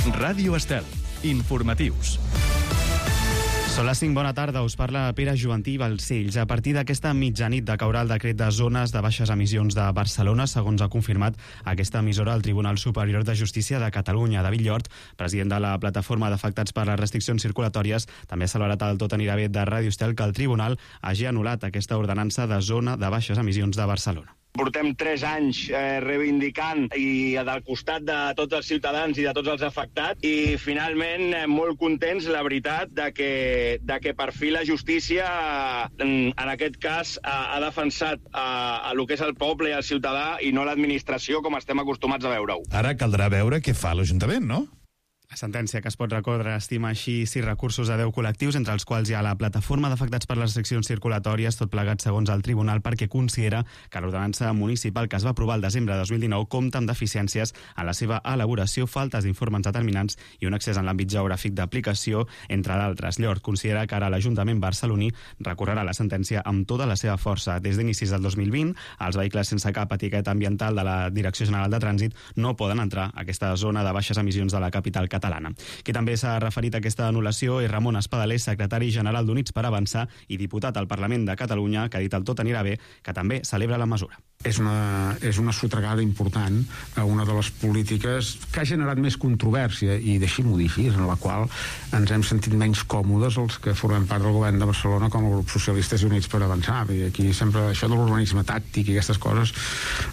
Ràdio Estel. Informatius. Són les 5, bona tarda, us parla Pere Joventí Balcells. A partir d'aquesta mitjanit decaurà el decret de zones de baixes emissions de Barcelona, segons ha confirmat aquesta emissora al Tribunal Superior de Justícia de Catalunya. David Llort, president de la plataforma d'afectats per les restriccions circulatòries, també ha celebrat el Tot anirà bé de Ràdio Estel que el Tribunal hagi anul·lat aquesta ordenança de zona de baixes emissions de Barcelona. Portem 3 anys reivindicant i del costat de tots els ciutadans i de tots els afectats i finalment molt contents, la veritat, de que per fi la justícia en aquest cas ha defensat el que és el poble i el ciutadà i no l'administració com estem acostumats a veure-ho. Ara caldrà veure què fa l'Ajuntament, no? La sentència que es pot recórrer estima així 6 recursos a 10 col·lectius, entre els quals hi ha la plataforma d'afectats per les restriccions circulatòries, tot plegat segons el tribunal, perquè considera que l'ordenança municipal que es va aprovar el desembre de 2019 compta amb deficiències en la seva elaboració, faltes d'informes determinants i un accés en l'àmbit geogràfic d'aplicació, entre d'altres. Llort considera que ara l'Ajuntament barceloní recorrerà la sentència amb tota la seva força. Des d'inicis del 2020, els vehicles sense cap etiqueta ambiental de la Direcció General de Trànsit no poden entrar a aquesta zona de baixes emissions de la capital catalana. Qui també s'ha referit a aquesta anul·lació és Ramon Espadaler, secretari general d'Units per Avançar i diputat al Parlament de Catalunya, que ha dit el Tot anirà bé, que també celebra la mesura. És una sotregada important a una de les polítiques que ha generat més controvèrsia, i deixi-m'ho dir així, en la qual ens hem sentit menys còmodes els que formem part del govern de Barcelona com a grup Socialistes i Units per Avançar. I aquí sempre això de l'urbanisme tàctic i aquestes coses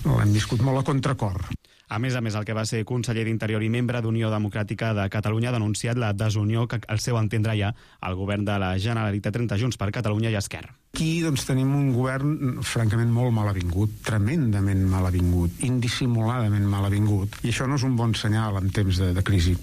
l'hem viscut molt a contracor. A més, el que va ser conseller d'Interior i membre d'Unió Democràtica de Catalunya ha denunciat la desunió que, al seu entendre, hi ha al govern de la Generalitat entre Junts per Catalunya i Esquerra. Aquí doncs, tenim un govern francament molt mal avingut, tremendament mal avingut, indissimuladament mal avingut, i això no és un bon senyal en temps de crisi.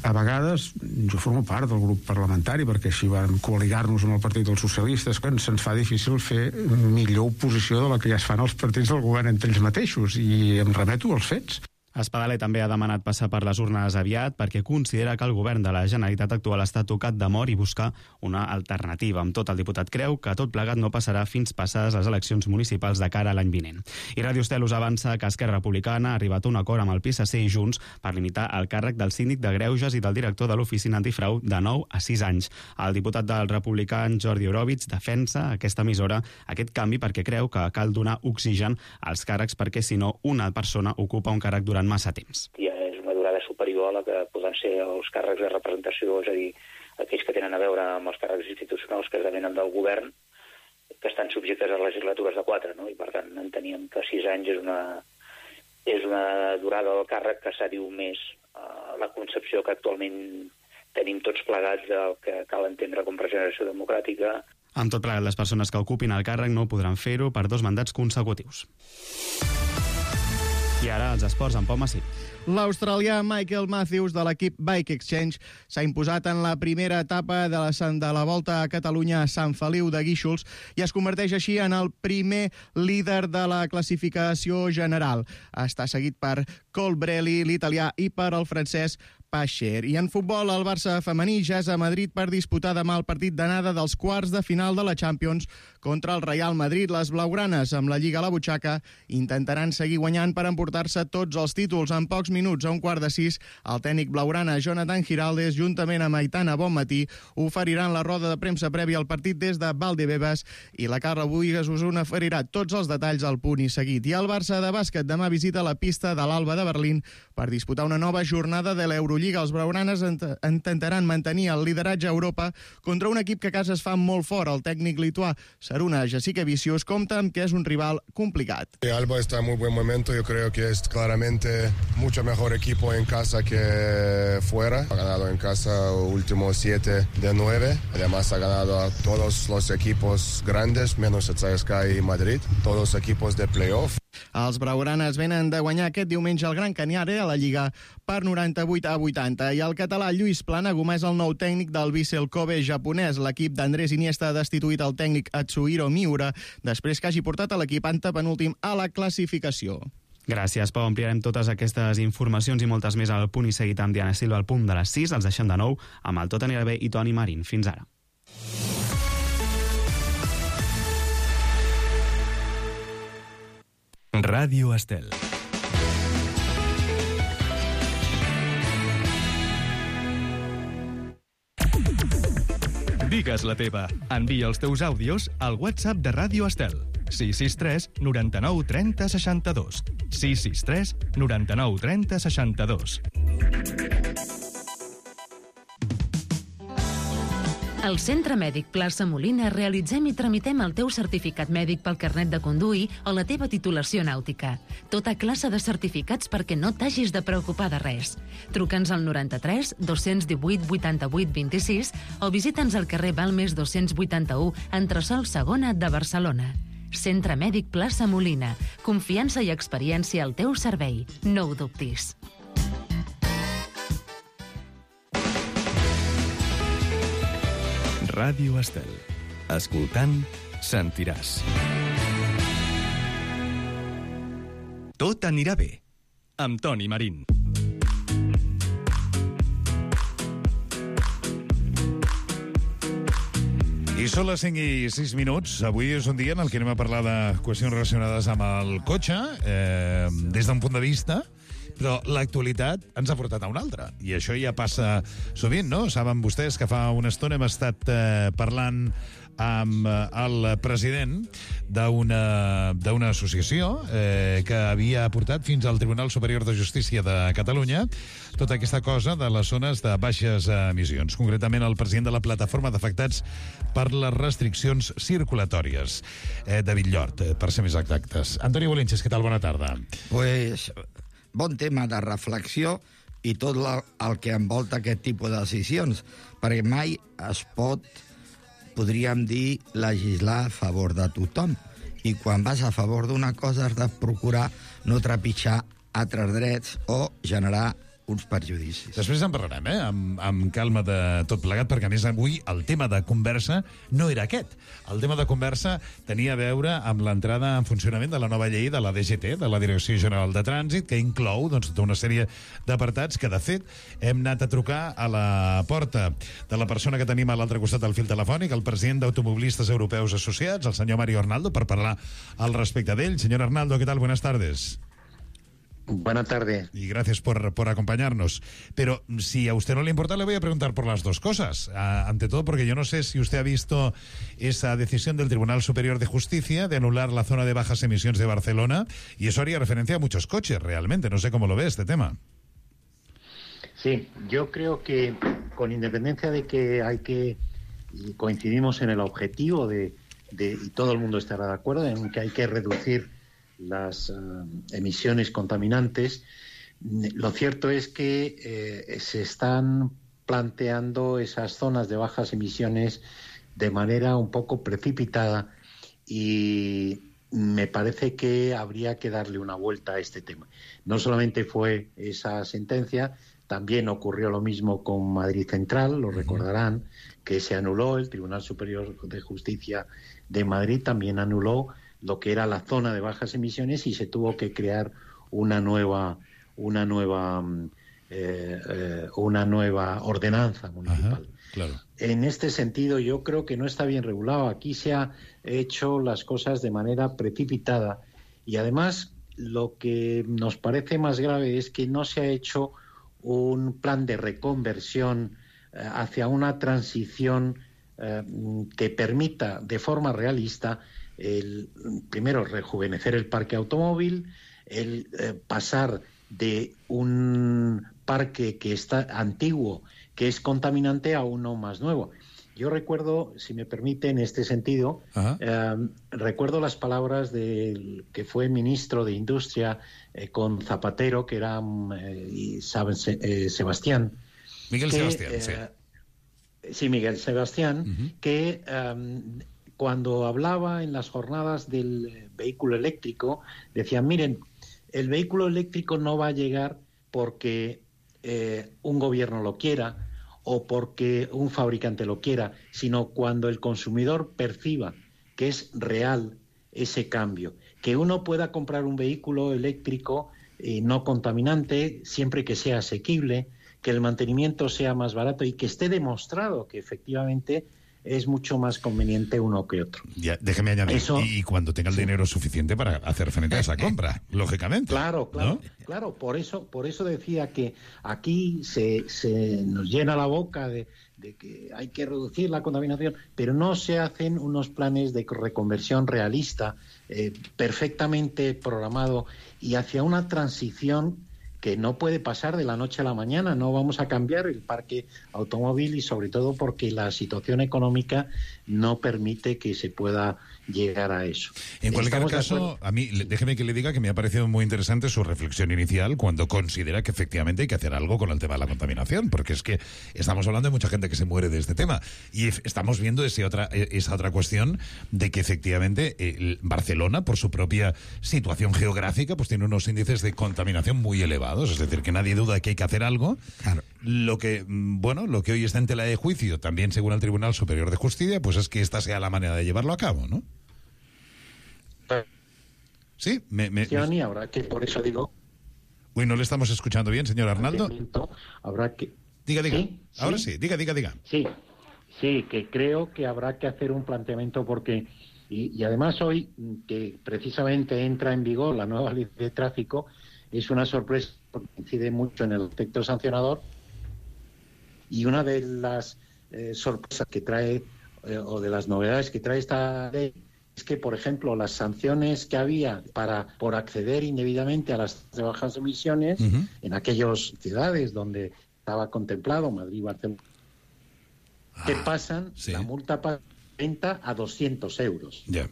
A vegades, jo formo part del grup parlamentari, perquè així vam coaligar-nos amb el Partit dels Socialistes, que se'ns fa difícil fer millor oposició de la que ja es fan els partits del govern entre ells mateixos, i em remeto als fets. Espadaler també ha demanat passar per les urnes aviat perquè considera que el govern de la Generalitat actual està tocat de mort i buscar una alternativa. Amb tot, el diputat creu que tot plegat no passarà fins passades les eleccions municipals de cara a l'any vinent. I Ràdio Estel us avança que Esquerra Republicana ha arribat a un acord amb el PSC i Junts per limitar el càrrec del síndic de Greuges i del director de l'Oficina Antifrau de 9 a 6 anys. El diputat del republicà Jordi Orobitz defensa aquesta emissora, aquest canvi, perquè creu que cal donar oxigen als càrrecs perquè si no una persona ocupa un càrrec durant massa temps. Ja és una durada superior a la que poden ser els càrrecs de representació, és a dir, aquells que tenen a veure amb els càrrecs institucionals que esdevenen del govern, que estan subjectes a legislatures de 4, no? I per tant enteníem que 6 anys és una durada del càrrec que s'adiu més a la concepció que actualment tenim tots plegats del que cal entendre com regeneració democràtica. Amb tot plegat, les persones que ocupin el càrrec no podran fer-ho per 2 mandats consecutius. I ara els esports amb Pau Massí. L'australià Michael Matthews de l'equip Bike Exchange s'ha imposat en la primera etapa de la Volta a Catalunya a Sant Feliu de Guíxols i es converteix així en el primer líder de la classificació general. Està seguit per Colbrelli, l'italià, i per el francès Pacher. I en futbol, el Barça femení ja és a Madrid per disputar demà el partit d'anada dels quarts de final de la Champions contra el Real Madrid. Les blaugranes, amb la Lliga a la butxaca, intentaran seguir guanyant per emportar-se tots els títols. En pocs minuts, a 5:45, el tècnic blaugrana Jonathan Giraldes, juntament amb Aitana Bonmatí, oferiran la roda de premsa prèvia al partit des de Valdebebas, i la Carla Buigas us oferirà tots els detalls al punt i seguit. I el Barça de bàsquet demà visita la pista de l'Alba de Berlín per disputar una nova jornada de l'Eurolliga. Els blaugranes intentaran mantenir el lideratge a Europa contra un equip que a casa es fa molt fort. El tècnic lituà Šarūnas Jasikevičius compta amb que és un rival complicat. Alba está en muy buen momento. Yo creo que es claramente mucho mejor equipo en casa que fuera. Ha ganado en casa últimos 7 de 9. Además ha ganado a todos los equipos grandes, menos el CSKA y Madrid. Todos los equipos de playoff. Els blaugranes venen de guanyar aquest diumenge el Gran Canaria a la Lliga per 98-80, i el català Lluís Planaguma és el nou tècnic del Vissel Kobe japonès. L'equip d'Andrés Iniesta ha destituït el tècnic Atsuhiro Miura després que hagi portat a l'equip antepenúltim a la classificació. Gràcies, Pau. Ampliarem totes aquestes informacions i moltes més al punt i seguit amb Diana Silva al punt de les 6. Els deixem de nou amb el Tot anirà bé i Toni Marín. Fins ara. Ràdio Estel. Digues la teva. Envia els teus àudios al WhatsApp de Ràdio Estel. 663 99 30 62. 663 99 30 62. Al Centre Mèdic Plaça Molina realitzem i tramitem el teu certificat mèdic pel carnet de conduir o la teva titulació nàutica. Tota classe de certificats perquè no t'hagis de preocupar de res. Truca'ns al 93 218 88 26 o visita'ns al carrer Balmes 281, entresòl Segona de Barcelona. Centre Mèdic Plaça Molina. Confiança i experiència al teu servei. No ho dubtis. Ràdio Estel. Escoltant, sentiràs. Tot anirà bé. Amb Toni Marín. I són les 5 i 6 minuts. Avui és un dia en el que anem a parlar de qüestions relacionades amb el cotxe, des d'un punt de vista, però l'actualitat ens ha portat a una altra. I això ja passa sovint, no? Saben vostès que fa una estona hem estat parlant amb el president d'una associació que havia portat fins al Tribunal Superior de Justícia de Catalunya tota aquesta cosa de les zones de baixes emissions. Concretament, el president de la plataforma d'afectats per les restriccions circulatòries, David Llort, per ser més exactes. Antoni Bolinches, què tal? Bona tarda. Pues, bon tema de reflexió i tot el que envolta aquest tipus de decisions, perquè mai es pot, podríem dir, legislar a favor de tothom. I quan vas a favor d'una cosa has de procurar no trepitjar altres drets o generar uns perjudicis. Després en parlarem, amb calma de tot plegat, perquè a més avui el tema de conversa no era aquest. El tema de conversa tenia a veure amb l'entrada en funcionament de la nova llei de la DGT, de la Direcció General de Trànsit, que inclou tota una sèrie d'apartats que, de fet, hem anat a trucar a la porta de la persona que tenim a l'altre costat del fil telefònic, el president d'Automovilistes Europeus Associats, el senyor Mario Arnaldo, per parlar al respecte d'ell. Señor Arnaldo, ¿qué tal? Buenas tardes. Buenas tardes. Y gracias por acompañarnos. Pero si a usted no le importa, le voy a preguntar por las dos cosas. Ante todo, porque yo no sé si usted ha visto esa decisión del Tribunal Superior de Justicia de anular la zona de bajas emisiones de Barcelona, y eso haría referencia a muchos coches, realmente. No sé cómo lo ve este tema. Sí, yo creo que con independencia de que y coincidimos en el objetivo y todo el mundo estará de acuerdo en que hay que reducir las emisiones contaminantes, lo cierto es que se están planteando esas zonas de bajas emisiones de manera un poco precipitada y me parece que habría que darle una vuelta a este tema. No solamente fue esa sentencia, también ocurrió lo mismo con Madrid Central, lo recordarán, que se anuló. El Tribunal Superior de Justicia de Madrid también anuló lo que era la zona de bajas emisiones y se tuvo que crear una nueva ordenanza municipal. Ajá, claro. En este sentido, yo creo que no está bien regulado. Aquí se ha hecho las cosas de manera precipitada y además lo que nos parece más grave es que no se ha hecho un plan de reconversión hacia una transición que permita de forma realista primero rejuvenecer el parque automóvil, pasar de un parque que está antiguo, que es contaminante, a uno más nuevo. Yo recuerdo, si me permite, en este sentido, recuerdo las palabras del que fue ministro de Industria con Zapatero, que era Sebastián. Miguel Sebastián, sí. Sí, Miguel Sebastián, que cuando hablaba en las jornadas del vehículo eléctrico, decía, miren, el vehículo eléctrico no va a llegar porque un gobierno lo quiera o porque un fabricante lo quiera, sino cuando el consumidor perciba que es real ese cambio, que uno pueda comprar un vehículo eléctrico no contaminante siempre que sea asequible, que el mantenimiento sea más barato y que esté demostrado que efectivamente es mucho más conveniente uno que otro. Ya, déjeme añadir, y cuando tenga el dinero suficiente para hacer frente a esa compra, lógicamente. Claro, ¿no? Claro, por eso decía que aquí se nos llena la boca de de que hay que reducir la contaminación, pero no se hacen unos planes de reconversión realista, perfectamente programado y hacia una transición que no puede pasar de la noche a la mañana. No vamos a cambiar el parque automóvil y sobre todo porque la situación económica no permite que se pueda llegar a eso. En cualquier caso, a mí, déjeme que le diga que me ha parecido muy interesante su reflexión inicial cuando considera que efectivamente hay que hacer algo con el tema de la contaminación, porque es que estamos hablando de mucha gente que se muere de este tema y estamos viendo esa otra cuestión de que efectivamente Barcelona, por su propia situación geográfica, pues tiene unos índices de contaminación muy elevados, es decir, que nadie duda que hay que hacer algo. Claro. Lo que hoy está en tela de juicio, también según el Tribunal Superior de Justicia, pues es que esta sea la manera de llevarlo a cabo, ¿no? Sí, y ahora que por eso digo... Uy, no le estamos escuchando bien, señor Arnaldo. Habrá que... Diga. ¿Sí? Ahora sí, diga. Sí, que creo que habrá que hacer un planteamiento porque... Y además hoy, que precisamente entra en vigor la nueva ley de tráfico, es una sorpresa porque incide mucho en el aspecto sancionador, y una de las sorpresas que trae, o de las novedades que trae esta ley, es que, por ejemplo, las sanciones que había por acceder indebidamente a las de bajas emisiones, en aquellas ciudades donde estaba contemplado, Madrid, Barcelona, que pasan, la multa pasa de 30 a 200 euros. Ya.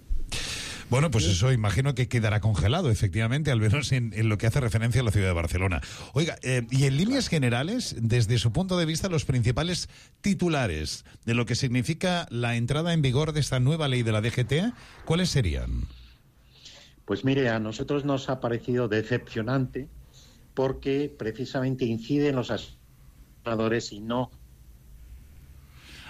Bueno, pues eso imagino que quedará congelado, efectivamente, al menos en lo que hace referencia a la ciudad de Barcelona. Oiga, y en líneas generales, desde su punto de vista, los principales titulares de lo que significa la entrada en vigor de esta nueva ley de la DGT, ¿cuáles serían? Pues mire, a nosotros nos ha parecido decepcionante porque precisamente incide en los asociadores y no...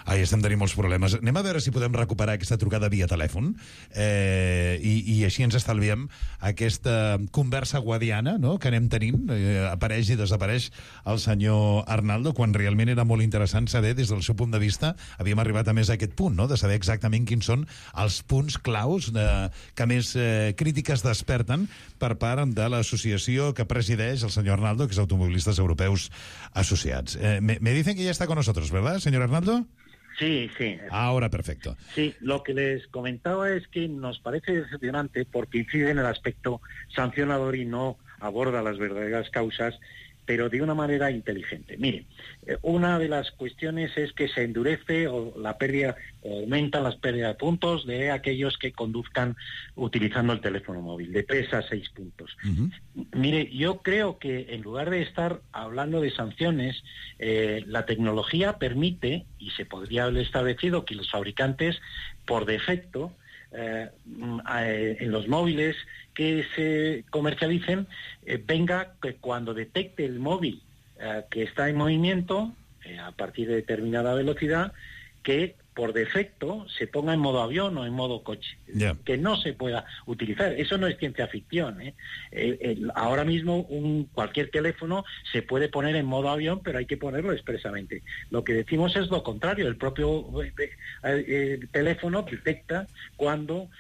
Ahí estem, tenim molts problemes. Anem a veure si podem recuperar aquesta trucada via telèfon i així ens estalviem aquesta conversa guadiana, no?, que anem tenint. Apareix i desapareix el senyor Arnaldo, quan realment era molt interessant saber, des del seu punt de vista, havíem arribat a més a aquest punt, no?, de saber exactament quins són els punts claus que més crítiques desperten per part de l'associació que presideix el senyor Arnaldo, que és Automovilistes Europeus Asociats. Me dicen que ya está con nosotros, ¿verdad, señor Arnaldo? Sí. Ahora perfecto. Sí, lo que les comentaba es que nos parece decepcionante porque incide en el aspecto sancionador y no aborda las verdaderas causas, pero de una manera inteligente. Miren, una de las cuestiones es que se endurece o aumentan las pérdidas de puntos de aquellos que conduzcan utilizando el teléfono móvil, de 3 a 6 puntos. Mire, yo creo que en lugar de estar hablando de sanciones, la tecnología permite, y se podría haber establecido, que los fabricantes, por defecto, en los móviles que se comercialicen, venga que cuando detecte el móvil que está en movimiento a partir de determinada velocidad, que por defecto se ponga en modo avión o en modo coche, que no se pueda utilizar. Eso no es ciencia ficción, ahora mismo cualquier teléfono se puede poner en modo avión, pero hay que ponerlo expresamente. Lo que decimos es lo contrario. El propio teléfono detecta cuando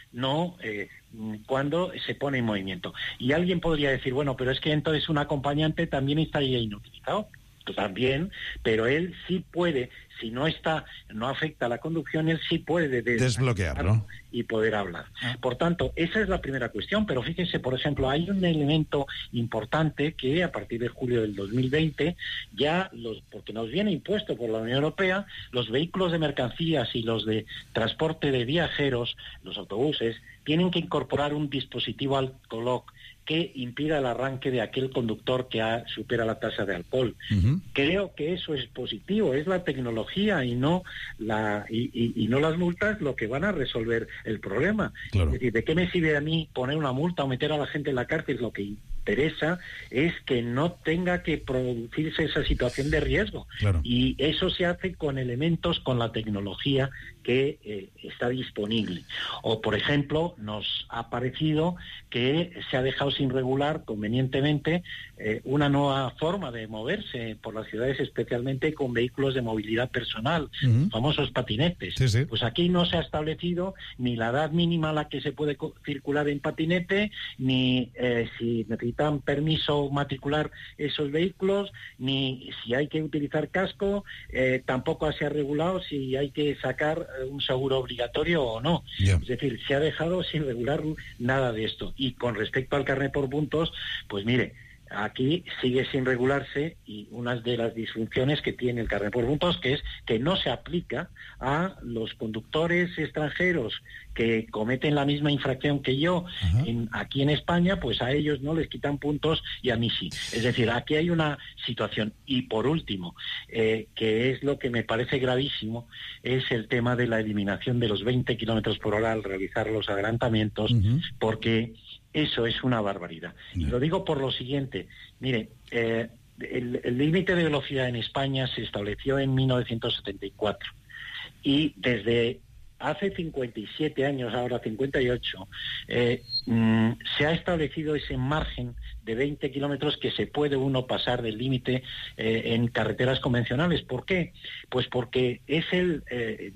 se pone en movimiento. Y alguien podría decir, bueno, pero es que entonces un acompañante también estaría inutilizado. También, pero él sí puede, si no afecta a la conducción, él sí puede desbloquearlo y poder hablar. Por tanto, esa es la primera cuestión, pero fíjense, por ejemplo, hay un elemento importante que a partir de julio del 2020 porque nos viene impuesto por la Unión Europea, los vehículos de mercancías y los de transporte de viajeros, los autobuses, tienen que incorporar un dispositivo alcoloc que impida el arranque de aquel conductor que supera la tasa de alcohol. Creo que eso es positivo, es la tecnología y no las multas lo que van a resolver el problema. Claro. Es decir, ¿de qué me sirve a mí poner una multa o meter a la gente en la cárcel? Lo que interesa es que no tenga que producirse esa situación de riesgo. Claro. Y eso se hace con elementos, con la tecnología que está disponible. O, por ejemplo, nos ha parecido que se ha dejado sin regular convenientemente una nueva forma de moverse por las ciudades, especialmente con vehículos de movilidad personal, famosos patinetes. Sí. Pues aquí no se ha establecido ni la edad mínima a la que se puede circular en patinete, ni si necesitan permiso matricular esos vehículos, ni si hay que utilizar casco, tampoco se ha regulado si hay que sacar un seguro obligatorio o no. Es decir, se ha dejado sin regular nada de esto. Y con respecto al carnet por puntos, pues mire, aquí sigue sin regularse, y una de las disfunciones que tiene el carnet por puntos que es que no se aplica a los conductores extranjeros que cometen la misma infracción que yo aquí en España, pues a ellos no les quitan puntos y a mí sí. Es decir, aquí hay una situación. Y por último, que es lo que me parece gravísimo, es el tema de la eliminación de los 20 kilómetros por hora al realizar los adelantamientos, porque eso es una barbaridad. Y lo digo por lo siguiente. Mire, el límite de velocidad en España se estableció en 1974 y desde hace 57 años, ahora 58, se ha establecido ese margen de 20 kilómetros que se puede uno pasar del límite en carreteras convencionales. ¿Por qué? Pues porque es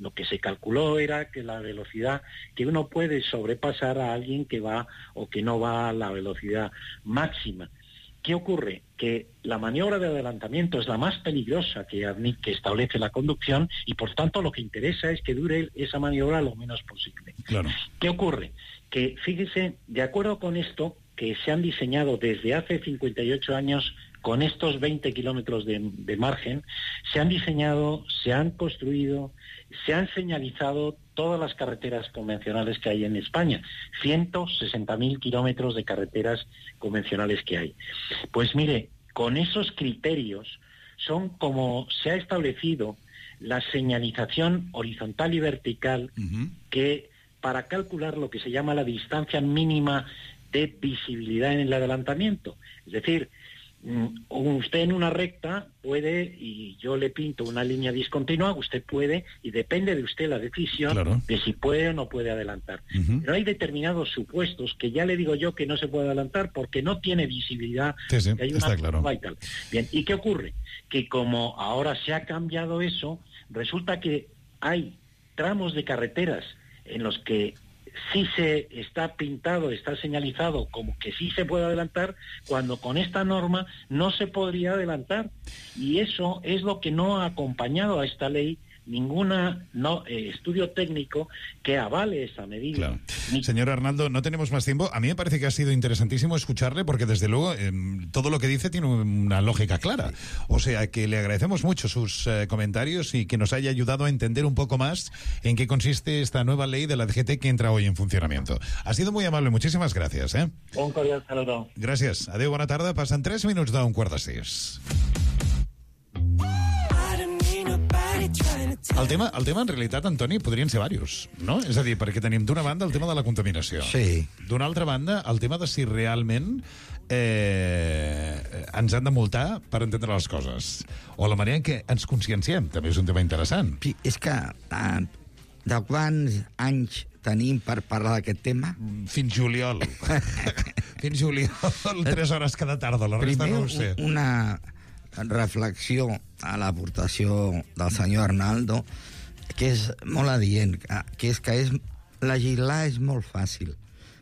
lo que se calculó era que la velocidad que uno puede sobrepasar a alguien que va o que no va a la velocidad máxima. ¿Qué ocurre? Que la maniobra de adelantamiento es la más peligrosa que establece la conducción, y por tanto lo que interesa es que dure esa maniobra lo menos posible. Claro. ¿Qué ocurre? Que, fíjese, de acuerdo con esto, que se han diseñado desde hace 58 años con estos 20 kilómetros de margen, se han diseñado, se han construido, se han señalizado todas las carreteras convencionales que hay en España, 160.000 kilómetros de carreteras convencionales que hay. Pues mire, con esos criterios son como se ha establecido la señalización horizontal y vertical, que para calcular lo que se llama la distancia mínima de visibilidad en el adelantamiento. Es decir, usted en una recta puede, y yo le pinto una línea discontinua, usted puede, y depende de usted la decisión de si puede o no puede adelantar. Pero hay determinados supuestos que ya le digo yo que no se puede adelantar porque no tiene visibilidad. Sí, hay una está claro. y tal. Bien, ¿y qué ocurre? Que como ahora se ha cambiado eso, resulta que hay tramos de carreteras en los que sí se está pintado, está señalizado como que sí se puede adelantar, cuando con esta norma no se podría adelantar. Y eso es lo que no ha acompañado a esta ley ningún estudio técnico que avale esa medida. Claro. Señor Arnaldo, no tenemos más tiempo. A mí me parece que ha sido interesantísimo escucharle porque, desde luego, todo lo que dice tiene una lógica clara. O sea, que le agradecemos mucho sus comentarios y que nos haya ayudado a entender un poco más en qué consiste esta nueva ley de la DGT que entra hoy en funcionamiento. Ha sido muy amable. Muchísimas gracias. Un cordial saludo. Gràcies. Adéu, bona tarda. Passen 3 minuts d'un quart de 6. El tema, en realitat, Antoni, podrien ser diversos, no? És a dir, perquè tenim d'una banda el tema de la contaminació. Sí. D'una altra banda, el tema de si realment ens han de multar per entendre les coses. O la manera en què ens conscienciem, també és un tema interessant. Sí, és que de quants anys tenim per parlar d'aquest tema? Fins juliol. Fins juliol, 3 hores cada tarda, la resta no ho sé. Una reflexió a l'aportació del senyor Arnaldo, que és molt adient, que és legislar és molt fàcil,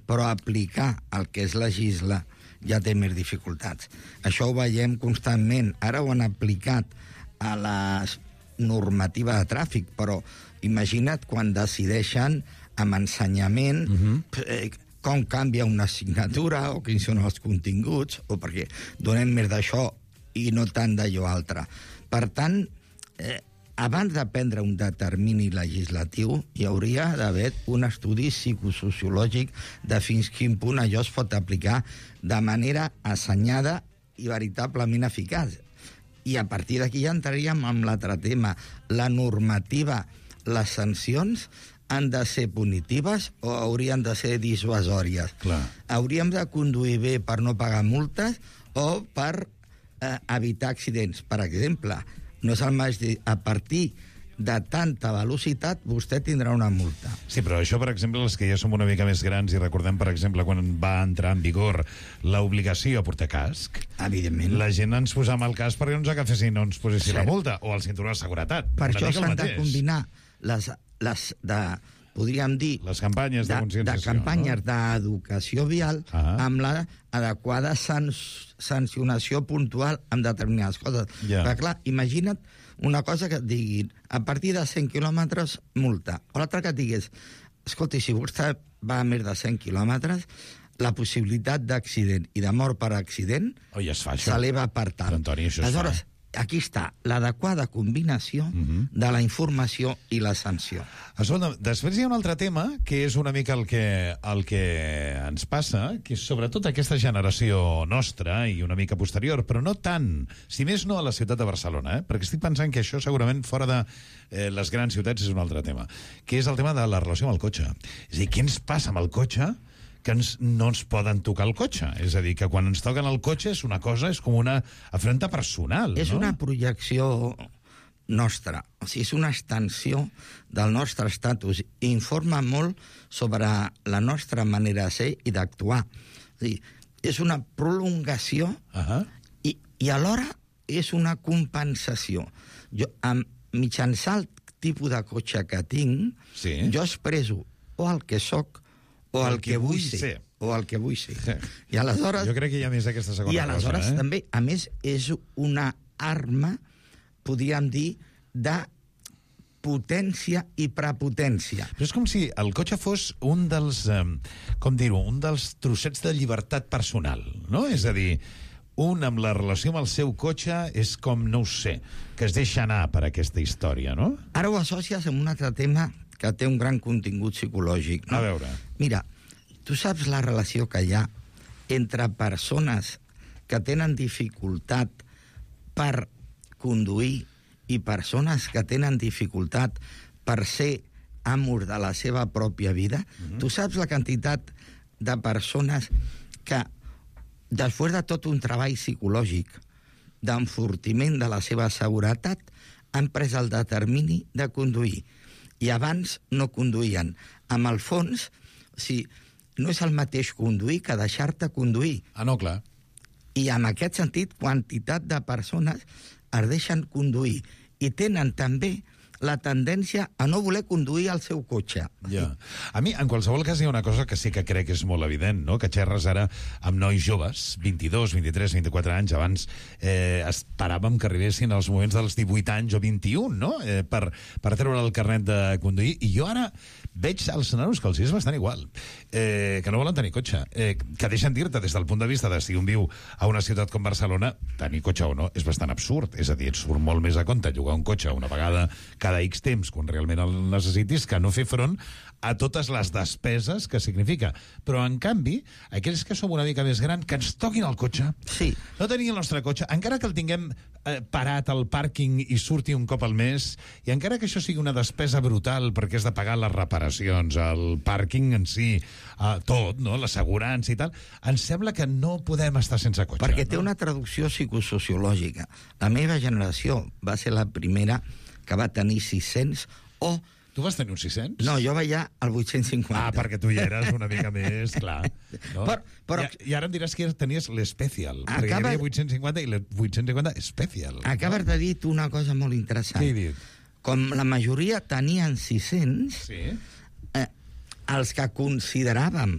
però aplicar el que és legislar ja té més dificultats. Això ho veiem constantment. Ara ho han aplicat a la normativa de tràfic, però imagina't quan decideixen amb ensenyament com canvia una assignatura o quins són els continguts, o perquè donem més d'això i no tant d'allò altre. Per tant, abans de prendre un determini legislatiu, hi hauria d'haver un estudi psicosociològic de fins quin punt allò es pot aplicar de manera assenyada i veritablement eficaç. I a partir d'aquí ja entraríem en l'altre tema. La normativa, les sancions, han de ser punitives o haurien de ser dissuasòries? Clar. Hauríem de conduir bé per no pagar multes o per evitar accidents. Per exemple, no és el mateix a partir de tanta velocitat, vostè tindrà una multa. Sí, però això, per exemple, els que ja som una mica més grans i recordem, per exemple, quan va entrar en vigor l'obligació a portar casc, evidentment, la gent ens posàvem el casc perquè no ens agafessin, no ens posessin la multa, o el cinturó de seguretat. Per això s'han de combinar podríem dir, les campanyes de conscienciació, campanyes d'educació vial amb l'adequada sancionació puntual amb determinades coses. Perquè, clar, imagina't una cosa que et diguin, a partir de 100 quilòmetres, multa. O l'altra que et digués, escolti, si vostè va a més de 100 quilòmetres, la possibilitat d'accident i de mort per accident s'eleva per tant. Antoni, això aleshores, aquí està l'adequada combinació de la informació i la sanció. Escolta, després hi ha un altre tema que és una mica el que ens passa, que és sobretot aquesta generació nostra i una mica posterior, però no tant, si més no a la ciutat de Barcelona, perquè estic pensant que això segurament fora de les grans ciutats és un altre tema, que és el tema de la relació amb el cotxe. És a dir, què ens passa amb el cotxe que no ens poden tocar el cotxe? És a dir, que quan ens toquen el cotxe és una cosa, és com una afrenta personal, és una projecció nostra, o sigui, és una extensió del nostre estatus, i informa molt sobre la nostra manera de ser i d'actuar. És una prolongació i alhora és una compensació. Jo, mitjançant el tipus de cotxe que tinc, jo expresso o el que soc o el que vull ser. O el que vull ser. I aleshores... Jo crec que hi ha més d'aquesta segona cosa. I aleshores també, a més, és una arma, podríem dir, de potència i prepotència. Però és com si el cotxe fos un dels, com dir-ho, un dels trossets de llibertat personal, no? És a dir, un amb la relació amb el seu cotxe és com, no ho sé, que es deixa anar per aquesta història, no? Ara ho associes amb un altre tema que té un gran contingut psicològic. No? A veure. Mira, tu saps la relació que hi ha entre persones que tenen dificultat per conduir i persones que tenen dificultat per ser amos de la seva pròpia vida? Tu saps la quantitat de persones que, després de tot un treball psicològic d'enfortiment de la seva seguretat, han pres el determini de conduir, i abans no conduïen. Amb el fons, no és el mateix conduir que deixar-te conduir. Ah, no, clar. I en aquest sentit, quantitat de persones es deixen conduir i tenen també la tendència a no voler conduir el seu cotxe. Ja. A mi, en qualsevol cas, hi ha una cosa que sí que crec que és molt evident, no? Que xerres ara amb nois joves, 22, 23, 24 anys, abans esperàvem que arribessin els moments dels 18 anys o 21, no? Per treure el carnet de conduir. I jo ara veig als nanos que els és bastant igual, que no volen tenir cotxe, que deixen dir-te des del punt de vista de si un viu a una ciutat com Barcelona, tenir cotxe o no és bastant absurd. És a dir, et surt molt més a compte llogar un cotxe una vegada cada X temps, quan realment el necessitis, que no fer front a totes les despeses que significa. Però, en canvi, aquells que som una mica més grans, que ens toquin el cotxe, no tenir el nostre cotxe, encara que el tinguem parat al pàrquing i surti un cop al mes, i encara que això sigui una despesa brutal perquè has de pagar les reparacions, el pàrquing en si, tot, no? L'assegurança i tal, ens sembla que no podem estar sense cotxe. Perquè té una traducció psicosociològica. La meva generació va ser la primera que va tenir 600 o... Tu vas tenir un 600? No, jo veia el 850. Ah, perquè tu ja eres una mica més, clar. No? Però... I ara em diràs que tenies l'Special, perquè hi havia 850 i l'850 Special. Acabes de dir tu una cosa molt interessant. Què he dit? Com la majoria tenien 600, els que consideràvem...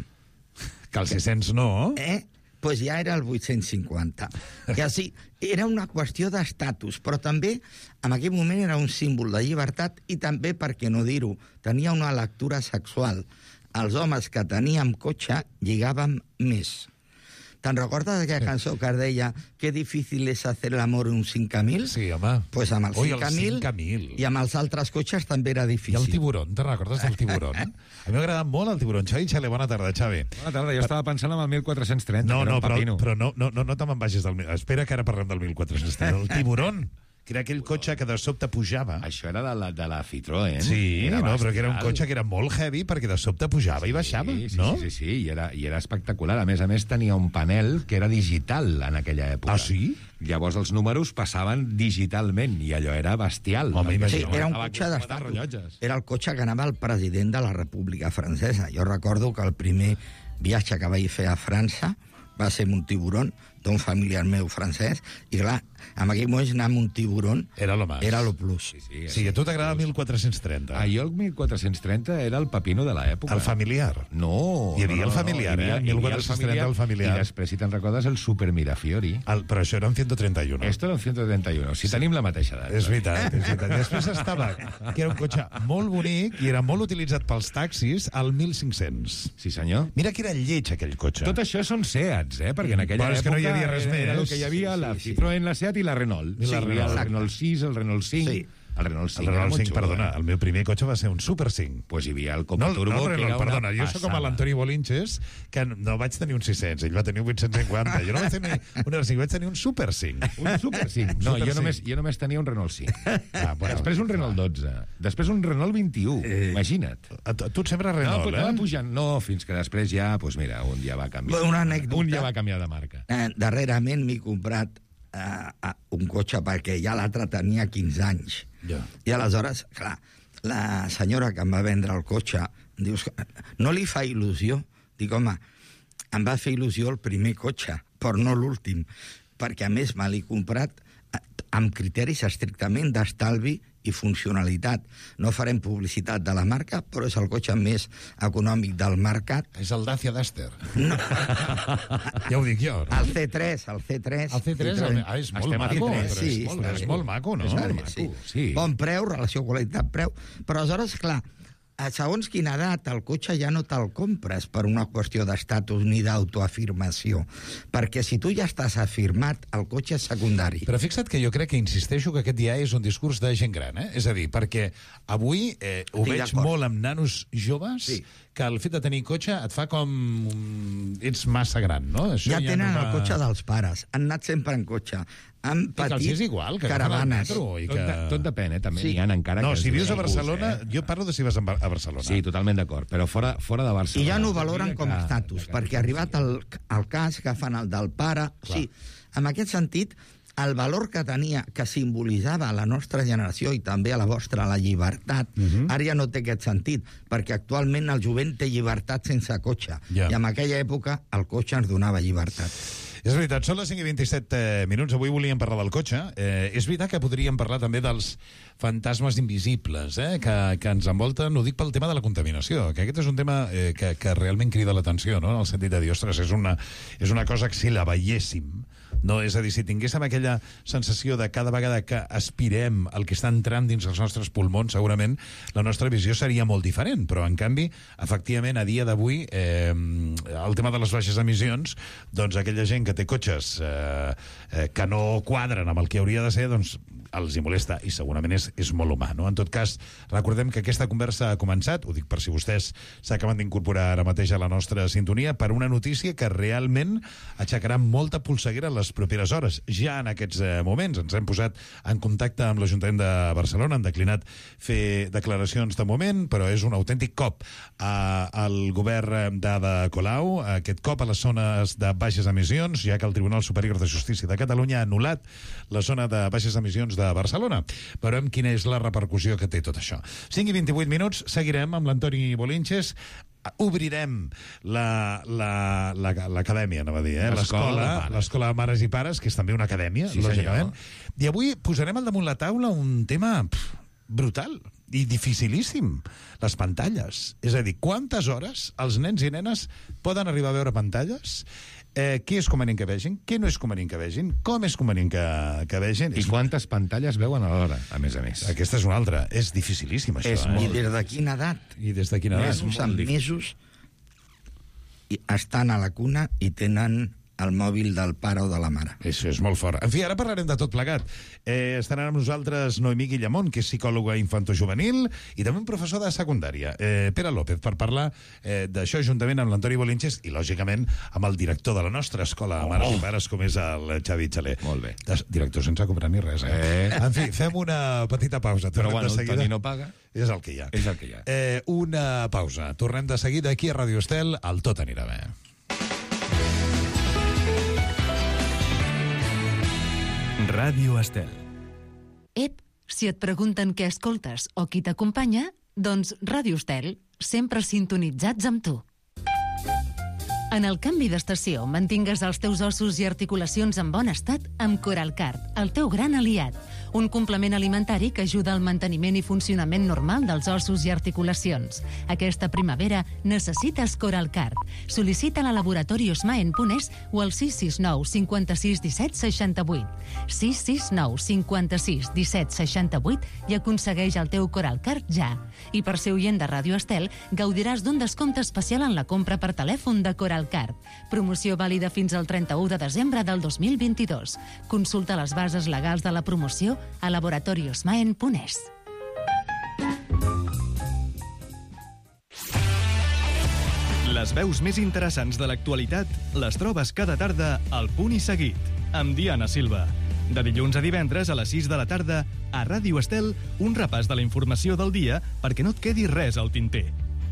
Que els 600 no... Pues ja era el 850. I així, era una qüestió d'estatus, però també en aquell moment era un símbol de llibertat i també, per què no dir-ho, tenia una lectura sexual. Els homes que teníem cotxe lligàvem més. Te'n recordes d'aquella cançó que es deia «Qué difícil es hacer el amor en un 5000»? Sí, home. Pues amb el 5000 i amb els altres cotxes també era difícil. I el tiburon, te'n recordes del tiburon? A mi m'ha agradat molt el tiburon. Xavi Xale, bona tarda, Xavi. Bona tarda, jo estava pensant en el 1430. No, però no te me'n vagis del... Espera que ara parlem del 1430. El tiburon... que era aquell cotxe que de sobte pujava. Això era de la Citroën. Sí, era no, però que era un bestial. cotxe que era molt heavy perquè de sobte pujava i baixava, no? Sí, i era espectacular. A més, tenia un panel que era digital en aquella època. Ah, sí? Llavors els números passaven digitalment i allò era bestial. Home, Sí, era un cotxe d'estatus. Era el cotxe que anava el president de la República Francesa. Jo recordo que el primer viatge que vaig fer a França va ser amb un tiburon d'un familiar meu francès, i clar, en aquell moment anar amb un tiburon era lo más. Era lo plus. Sí, a tu t'agrada el 1430. Ah, jo el 1430 era el pepino de l'època. El familiar. No. Hi havia el familiar, hi havia eh? 1430 el familiar. I després, si te'n recordes, el Super Mirafiori. Però això era un 131. Esto era un 131. Si tenim la mateixa edat. És veritat, és veritat. Després estava, que era un cotxe molt bonic i era molt utilitzat pels taxis, al 1500. Sí, senyor. Mira que era lleig, aquell cotxe. Tot això són Seats, perquè en aquella Però és que època no hi havia res més. Era el que hi havia, la Citroën, la Seat i la Renault. I la Renault. El Renault 6, el Renault 5... Sí. El Renault 5, El Renault 5, xulo, perdona, el meu primer cotxe va ser un Super 5. Pues hi havia el Copa Turbo, no, que era perdona, una jo soc com l'Antoni Bolinches, que no vaig tenir un 600, ell va tenir un 850. Jo no vaig tenir un R5, vaig tenir un Super 5. Un Super 5? No, jo només tenia un Renault 5. Després un Renault 12. Després un Renault 21. Imagina't. Tu et sembla Renault, anava pujant. No, fins que després ja, doncs mira, un ja va canviar. Una anècdota. Un ja va canviar de marca. Darrerament m'he comprat un cotxe perquè ja l'altre tenia 15 anys. Ja. I aleshores, clar, la senyora que em va vendre el cotxe, dius, no li fa il·lusió? Dic, home, em va fer il·lusió el primer cotxe, però no l'últim, perquè a més me l'he comprat amb criteris estrictament d'estalvi i funcionalitat. No farem publicitat de la marca, però és el cotxe més econòmic del mercat. És el Dacia Duster. No. Ja ho dic jo, no? El C3. El C3 és molt maco. Sí, és molt maco, no? És molt maco. Sí. Bon preu, relació qualitat-preu. Però aleshores, clar, segons quina edat, el cotxe ja no te'l compres per una qüestió d'estatus ni d'autoafirmació. Perquè si tu ja estàs afirmat, el cotxe és secundari. Però fixa't que jo crec que insisteixo que aquest ja és un discurs de gent gran, eh? És a dir, perquè avui ho veig molt amb nanos joves, que el fet de tenir cotxe et fa com... ets massa gran, no? Això ja tenen el cotxe dels pares, han anat sempre en cotxe, han patit és igual, que caravanes. Tot depèn, també n'hi ha encara... No, que si vius a Barcelona, jo parlo de si vas a Barcelona. Sí, totalment d'acord, però fora de Barcelona. I ja no ho valoren com a estatus, perquè arribat al cas que fan el del pare... Sí, en aquest sentit, el valor que tenia, que simbolitzava a la nostra generació i també a la vostra, la llibertat, ara ja no té aquest sentit, perquè actualment el jovent té llibertat sense cotxe, i en aquella època el cotxe ens donava llibertat. És veritat, són les 5:27 minuts. Avui volíem parlar del cotxe. És veritat que podríem parlar també dels fantasmes invisibles que ens envolten. Ho dic pel tema de la contaminació, que aquest és un tema que realment crida l'atenció, no? En el sentit de dir, ostres, és una cosa que si la veiéssim, no? És a dir, si tinguéssim aquella sensació de cada vegada que aspirem el que està entrant dins els nostres pulmons, segurament la nostra visió seria molt diferent, però en canvi, efectivament, a dia d'avui el tema de les baixes emissions, doncs aquella gent que té cotxes que no quadren amb el que hauria de ser, doncs els hi molesta, i segurament és molt humà, no? En tot cas, recordem que aquesta conversa ha començat, ho dic per si vostès s'acaben d'incorporar ara mateix a la nostra sintonia, per una notícia que realment aixecarà molta polseguera en les properes hores. Ja en aquests moments ens hem posat en contacte amb l'Ajuntament de Barcelona, han declinat fer declaracions de moment, però és un autèntic cop al govern d'Ada Colau, aquest cop a les zones de baixes emissions, ja que el Tribunal Superior de Justícia de Catalunya ha anul·lat la zona de baixes emissions de Barcelona. Veurem quina és la repercussió que té tot això. 5:28 minuts, seguirem amb l'Antoni Bolinches, obrirem l'acadèmia, anava a dir, l'escola de mares i pares, que és també una acadèmia, lògicament. I avui posarem al damunt la taula un tema brutal i dificilíssim, les pantalles. És a dir, quantes hores els nens i nenes poden arribar a veure pantalles? Què és convenient que vegin? Què no és convenient que vegin? Com és convenient que vegin? I quantes pantalles veuen alhora, a més a més? Aquesta és una altra. És dificilíssim, això. I des de quina edat? I des de quina edat? Mesos estan a la cuna i tenen al mòbil del pare o de la mare. Això és molt fort. En fi, ara parlarem de tot plegat. Estaran amb nosaltres Noemí Guillamont, que és psicòloga infantojuvenil i també un professor de secundària, Pere López, per parlar d'això juntament amb l'Antoni Bolinches i, lògicament, amb el director de la nostra escola de mares i pares, com és el Xavi Xaler. Molt bé. Director sense cobrar ni res, En fi, fem una petita pausa. Però bueno, el Toni no paga. És el que hi ha. És el que hi ha. Una pausa. Tornem de seguida aquí a Ràdio Estel. El Tot anirà bé. Ràdio Estel. Ep, si et pregunten què escoltes o qui t'acompanya, doncs Ràdio Estel, sempre sintonitzats amb tu. En el canvi d'estació, mantingues els teus ossos i articulacions en bon estat amb Coralcard, el teu gran aliat. Un complement alimentari que ajuda al manteniment i funcionament normal dels ossos i articulacions. Aquesta primavera necessites Coralcard. Sol·licita-la a Laboratori Osma en Punès o al 669 56 17 68. 669 56 17 68 i aconsegueix el teu Coralcard ja. I per ser oient de Ràdio Estel, gaudiràs d'un descompte especial en la compra per telèfon de Coralcard. Promoció vàlida fins al 31 de desembre del 2022. Consulta les bases legals de la promoció a Laboratori Osma en Punès. Les veus més interessants de l'actualitat les trobes cada tarda al Punt i Seguit, amb Diana Silva. De dilluns a divendres a les 6 de la tarda, a Ràdio Estel, un repàs de la informació del dia perquè no et quedi res al tinter.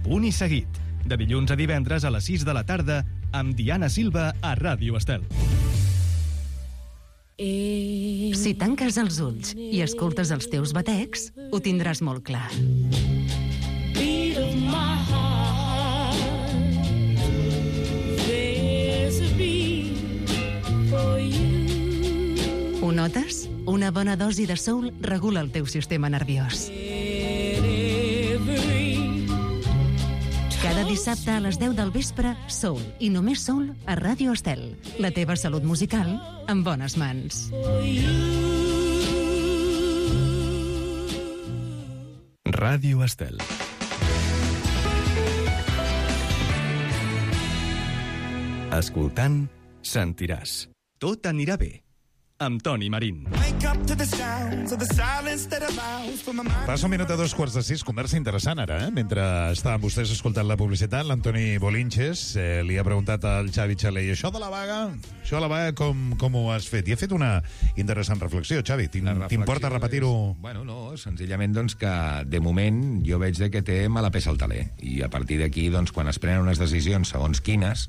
Punt i Seguit, de dilluns a divendres a les 6 de la tarda, amb Diana Silva a Ràdio Estel. Si tanques els ulls i escoltes els teus batecs, ho tindràs molt clar. Ho notes? Una bona dosi de soul regula el teu sistema nerviós. Cada dissabte a les 10 del vespre, Soul, i només Soul a Ràdio Estel. La teva salut musical en bones mans. Ràdio Estel. Escoltant, sentiràs. Tot anirà bé. Amb Toni Marín. Passa un minut a 2:45, conversa interessant ara, mentre estaven vostès escoltant la publicitat, l'Antoni Bolinches li ha preguntat al Xavi Xaler, i això de la vaga, com ho has fet? I ha fet una interessant reflexió, Xavi, t'importa repetir-ho? Bueno, no, senzillament doncs que de moment jo veig que té mala peça al taler, i a partir d'aquí, doncs, quan es prenen unes decisions segons quines,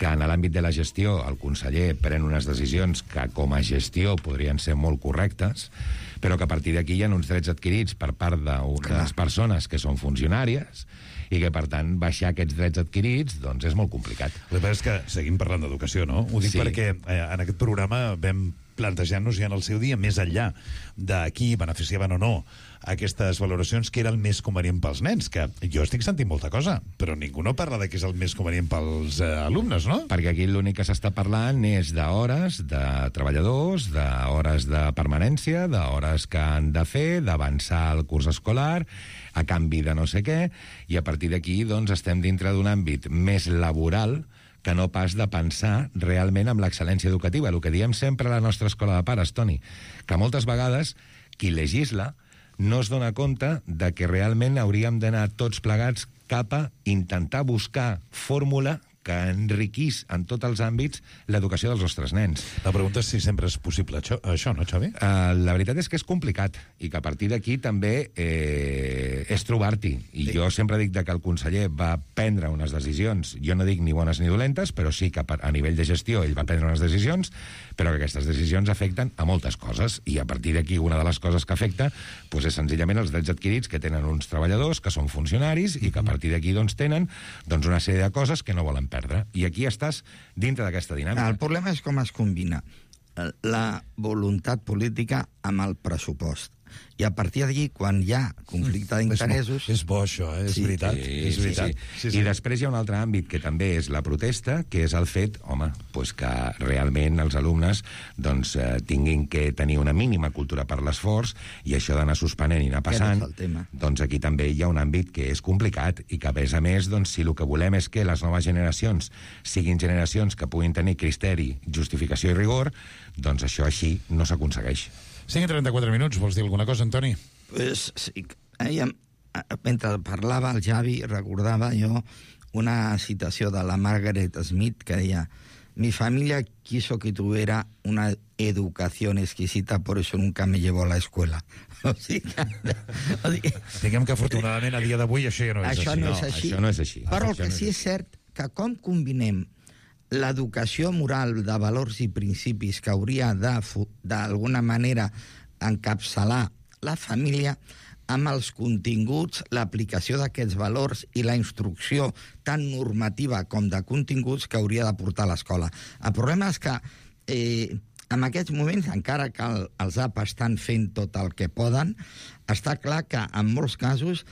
que en l'àmbit de la gestió el conseller pren unes decisions que com a gestió podrien ser molt correctes, però que a partir d'aquí hi ha uns drets adquirits per part d'unes persones que són funcionàries i que, per tant, baixar aquests drets adquirits doncs és molt complicat. El que passa és que seguim parlant d'educació, no? Ho dic perquè en aquest programa vam plantejar-nos ja en el seu dia, més enllà de qui beneficiaven o no aquestes valoracions, que era el més convenient pels nens, que jo estic sentint molta cosa, però ningú no parla de què és el més convenient pels alumnes, no? Perquè aquí l'únic que s'està parlant és d'hores de treballadors, d'hores de permanència, d'hores que han de fer, d'avançar el curs escolar, a canvi de no sé què, i a partir d'aquí doncs estem dintre d'un àmbit més laboral que no pas de pensar realment amb l'excel·lència educativa. El que diem sempre a la nostra escola de pares, Toni, que moltes vegades qui legisla no es dona compte de que realment hauríem d'anar tots plegats cap a intentar buscar fórmula que enriquís en tots els àmbits l'educació dels nostres nens. La pregunta és si sempre és possible això, no, Xavi? La veritat és que és complicat i que a partir d'aquí també és trobar-t'hi. I jo sempre dic que el conseller va prendre unes decisions, jo no dic ni bones ni dolentes, però sí que a nivell de gestió ell va prendre unes decisions, però que aquestes decisions afecten a moltes coses, i a partir d'aquí una de les coses que afecta doncs és senzillament els drets adquirits que tenen uns treballadors que són funcionaris i que a partir d'aquí doncs tenen una sèrie de coses que no volen perdre. I aquí estàs dintre d'aquesta dinàmica. El problema és com es combina la voluntat política amb el pressupost. I a partir d'allí, quan hi ha conflicte d'interessos... És bo això, és veritat. És veritat. Sí. I després hi ha un altre àmbit que també és la protesta, que és el fet, home, pues que realment els alumnes doncs, tinguin que tenir una mínima cultura per l'esforç, i això d'anar suspenent i anar passant, doncs aquí també hi ha un àmbit que és complicat i que, a més, doncs, si el que volem és que les noves generacions siguin generacions que puguin tenir criteri, justificació i rigor, doncs això així no s'aconsegueix. 5:34 minuts, vols dir alguna cosa, Antoni? Pues sí, mentre parlava el Javi, recordava jo una citació de la Margaret Smith que deia: mi familia quiso que tuviera una educación exquisita, por eso nunca me llevó a la escuela. O sigui, diguem que afortunadament a dia d'avui això ja no és això així. No és així. Això no és així. Però el que sí és cert que com combinem l'educació moral de valors i principis que hauria d'alguna manera encapçalar la família amb els continguts, l'aplicació d'aquests valors i la instrucció tant normativa com de continguts que hauria de portar l'escola. El problema és que en aquests moments, encara que els APA estan fent tot el que poden, està clar que en molts casos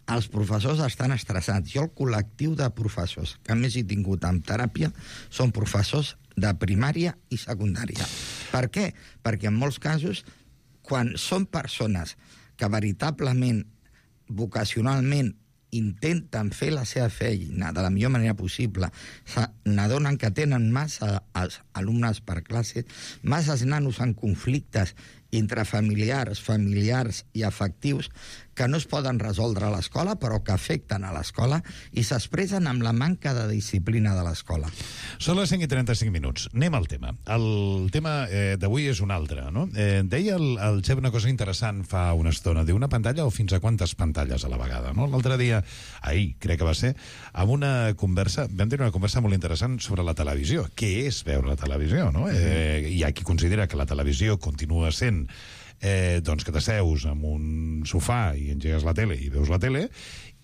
els professors estan estressats. Jo el col·lectiu de professors que més he tingut en teràpia són professors de primària i secundària. Per què? Perquè en molts casos, quan són persones que veritablement, vocacionalment, intenten fer la seva feina de la millor manera possible, n'adonen que tenen massa alumnes per classe, massa nanos en conflictes intrafamiliars, familiars i afectius que no es poden resoldre a l'escola, però que afecten a l'escola i s'expressen amb la manca de disciplina de l'escola. Són les 5:35 minuts. Anem al tema. El tema d'avui és un altre, no? Deia el Xep una cosa interessant fa una estona. Diu, una pantalla o fins a quantes pantalles a la vegada, no? L'altre dia, ahir, crec que va ser, amb una conversa, vam tenir una conversa molt interessant sobre la televisió. Què és veure la televisió, no? Hi ha qui considera que la televisió continua sent doncs que t'asseus en un sofà i engegues la tele i veus la tele,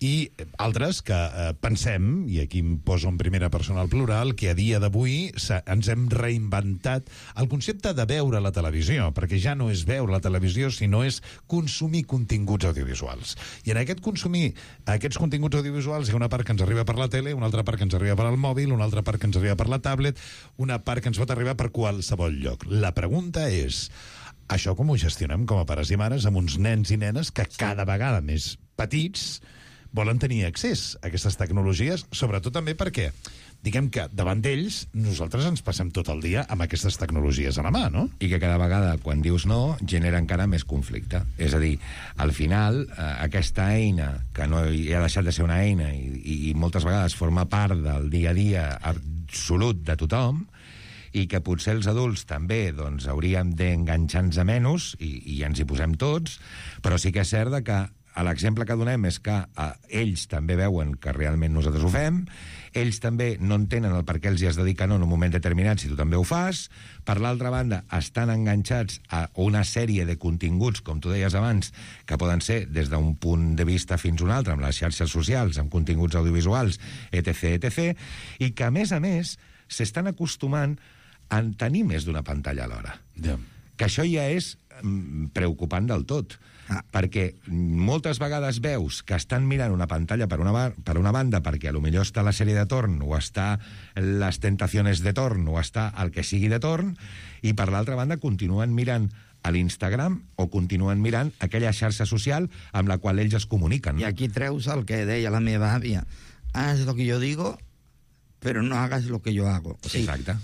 i altres que pensem, i aquí em poso en primera persona al plural, que a dia d'avui ens hem reinventat el concepte de veure la televisió, perquè ja no és veure la televisió, sinó és consumir continguts audiovisuals. I en aquest consumir aquests continguts audiovisuals hi ha una part que ens arriba per la tele, una altra part que ens arriba per al mòbil, una altra part que ens arriba per la tablet, una part que ens pot arribar per qualsevol lloc. La pregunta és, això com ho gestionem com a pares i mares amb uns nens i nenes que cada vegada més petits volen tenir accés a aquestes tecnologies, sobretot també perquè, diguem que davant d'ells nosaltres ens passem tot el dia amb aquestes tecnologies a la mà, no? I que cada vegada, quan dius no, genera encara més conflicte. És a dir, al final, aquesta eina, que no hi ha deixat de ser una eina i moltes vegades forma part del dia a dia absolut de tothom, i que potser els adults també doncs, hauríem d'enganxar-nos a menys, i ens hi posem tots, però sí que és cert que l'exemple que donem és que ells també veuen que realment nosaltres ho fem, ells també no entenen el per què els hi has de dir que no en un moment determinat si tu també ho fas, per l'altra banda estan enganxats a una sèrie de continguts, com tu deies abans, que poden ser des d'un punt de vista fins a un altre, amb les xarxes socials, amb continguts audiovisuals, etc., i que a més s'estan acostumant a tenir més d'una pantalla alhora. Que això ja és preocupant del tot, perquè moltes vegades veus que estan mirant una pantalla per una banda perquè a lo millor està la sèrie de torn o està les tentacions de torn o està el que sigui de torn, i per l'altra banda continuen mirant a l'Instagram o continuen mirant aquella xarxa social amb la qual ells es comuniquen. I aquí treus el que deia la meva àvia: haz lo que yo digo, pero no hagas lo que yo hago. O sigui, exacte.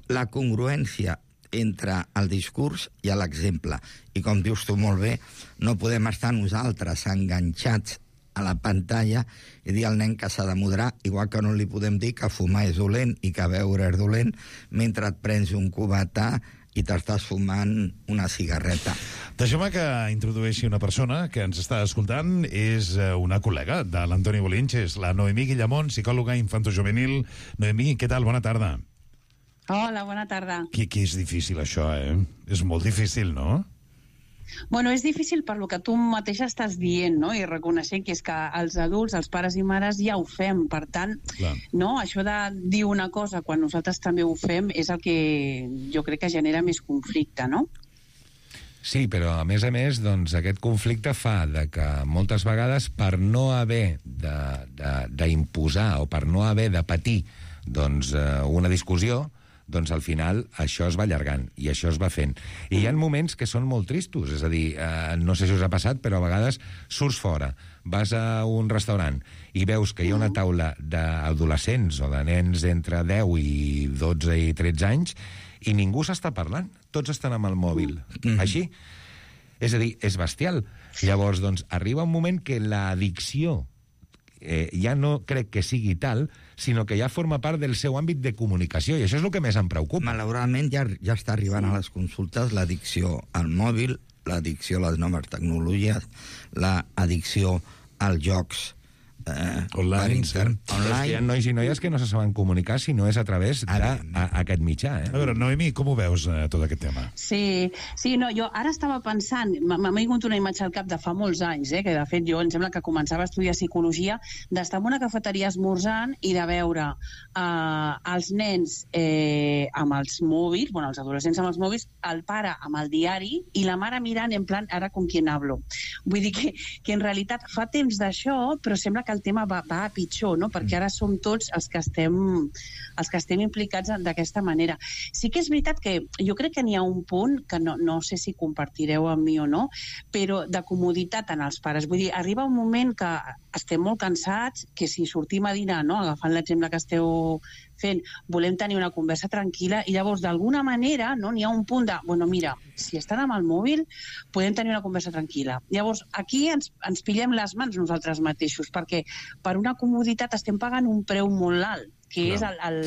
La congruència entre el discurs i l'exemple. I com dius tu molt bé, no podem estar nosaltres enganxats a la pantalla i dir al nen que s'ha de moderar, igual que no li podem dir que fumar és dolent i que beure és dolent mentre et prens un cubata i t'estàs fumant una cigarreta. Deixeu-me que introdueixi una persona que ens està escoltant. És una col·lega de l'Antoni Bolinches, la Noemí Guillamón, psicòloga infantojuvenil. Noemí, què tal? Bona tarda. Hola, bona tarda. Que és difícil això, És molt difícil, no? Bueno, és difícil per lo que tu mateixa estàs dient, no? I reconeixent que és que els adults, els pares i mares ja ho fem. Per tant, no? Això de dir una cosa quan nosaltres també ho fem és el que jo crec que genera més conflicte, no? Sí, però a més, doncs, aquest conflicte fa que moltes vegades per no haver d'imposar o per no haver de patir doncs, una discussió, doncs al final això es va allargant i això es va fent. I hi ha moments que són molt tristos, és a dir, no sé si us ha passat, però a vegades surts fora, vas a un restaurant i veus que hi ha una taula d'adolescents o de nens entre 10 i 12 i 13 anys i ningú s'està parlant, tots estan amb el mòbil. Així. És a dir, és bestial. Llavors, doncs, arriba un moment que l'addicció ja no crec que sigui tal, sinó que ja forma part del seu àmbit de comunicació, i això és el que més em preocupa. Malauradament ja està arribant a les consultes l'addicció al mòbil, l'addicció a les noves tecnologies, l'addicció als jocs online. Hi ha nois i noies que no se saben comunicar si no és a través d'aquest mitjà. A veure, Noemi, com ho veus, tot aquest tema? Sí, no, jo ara estava pensant, m'ha vingut una imatge al cap de fa molts anys, que de fet jo em sembla que començava a estudiar psicologia, d'estar en una cafeteria esmorzant i de veure els nens amb els mòbils, els adolescents amb els mòbils, el pare amb el diari i la mare mirant en plan, ara con quién hablo. Vull dir que en realitat fa temps d'això, però sembla que el tema va a pitjor, no? Perquè ara som tots els que estem implicats d'aquesta manera. Sí que és veritat que jo crec que n'hi ha un punt que no sé si compartireu amb mi o no, però de comoditat en els pares. Vull dir, arriba un moment que estem molt cansats, que si sortim a dinar, no? Agafant l'exemple que esteu fent, volem tenir una conversa tranquil·la i llavors d'alguna manera n'hi ha un punt de, mira, si estan amb el mòbil podem tenir una conversa tranquil·la. Llavors aquí ens pillem les mans nosaltres mateixos perquè per una comoditat estem pagant un preu molt alt, que és el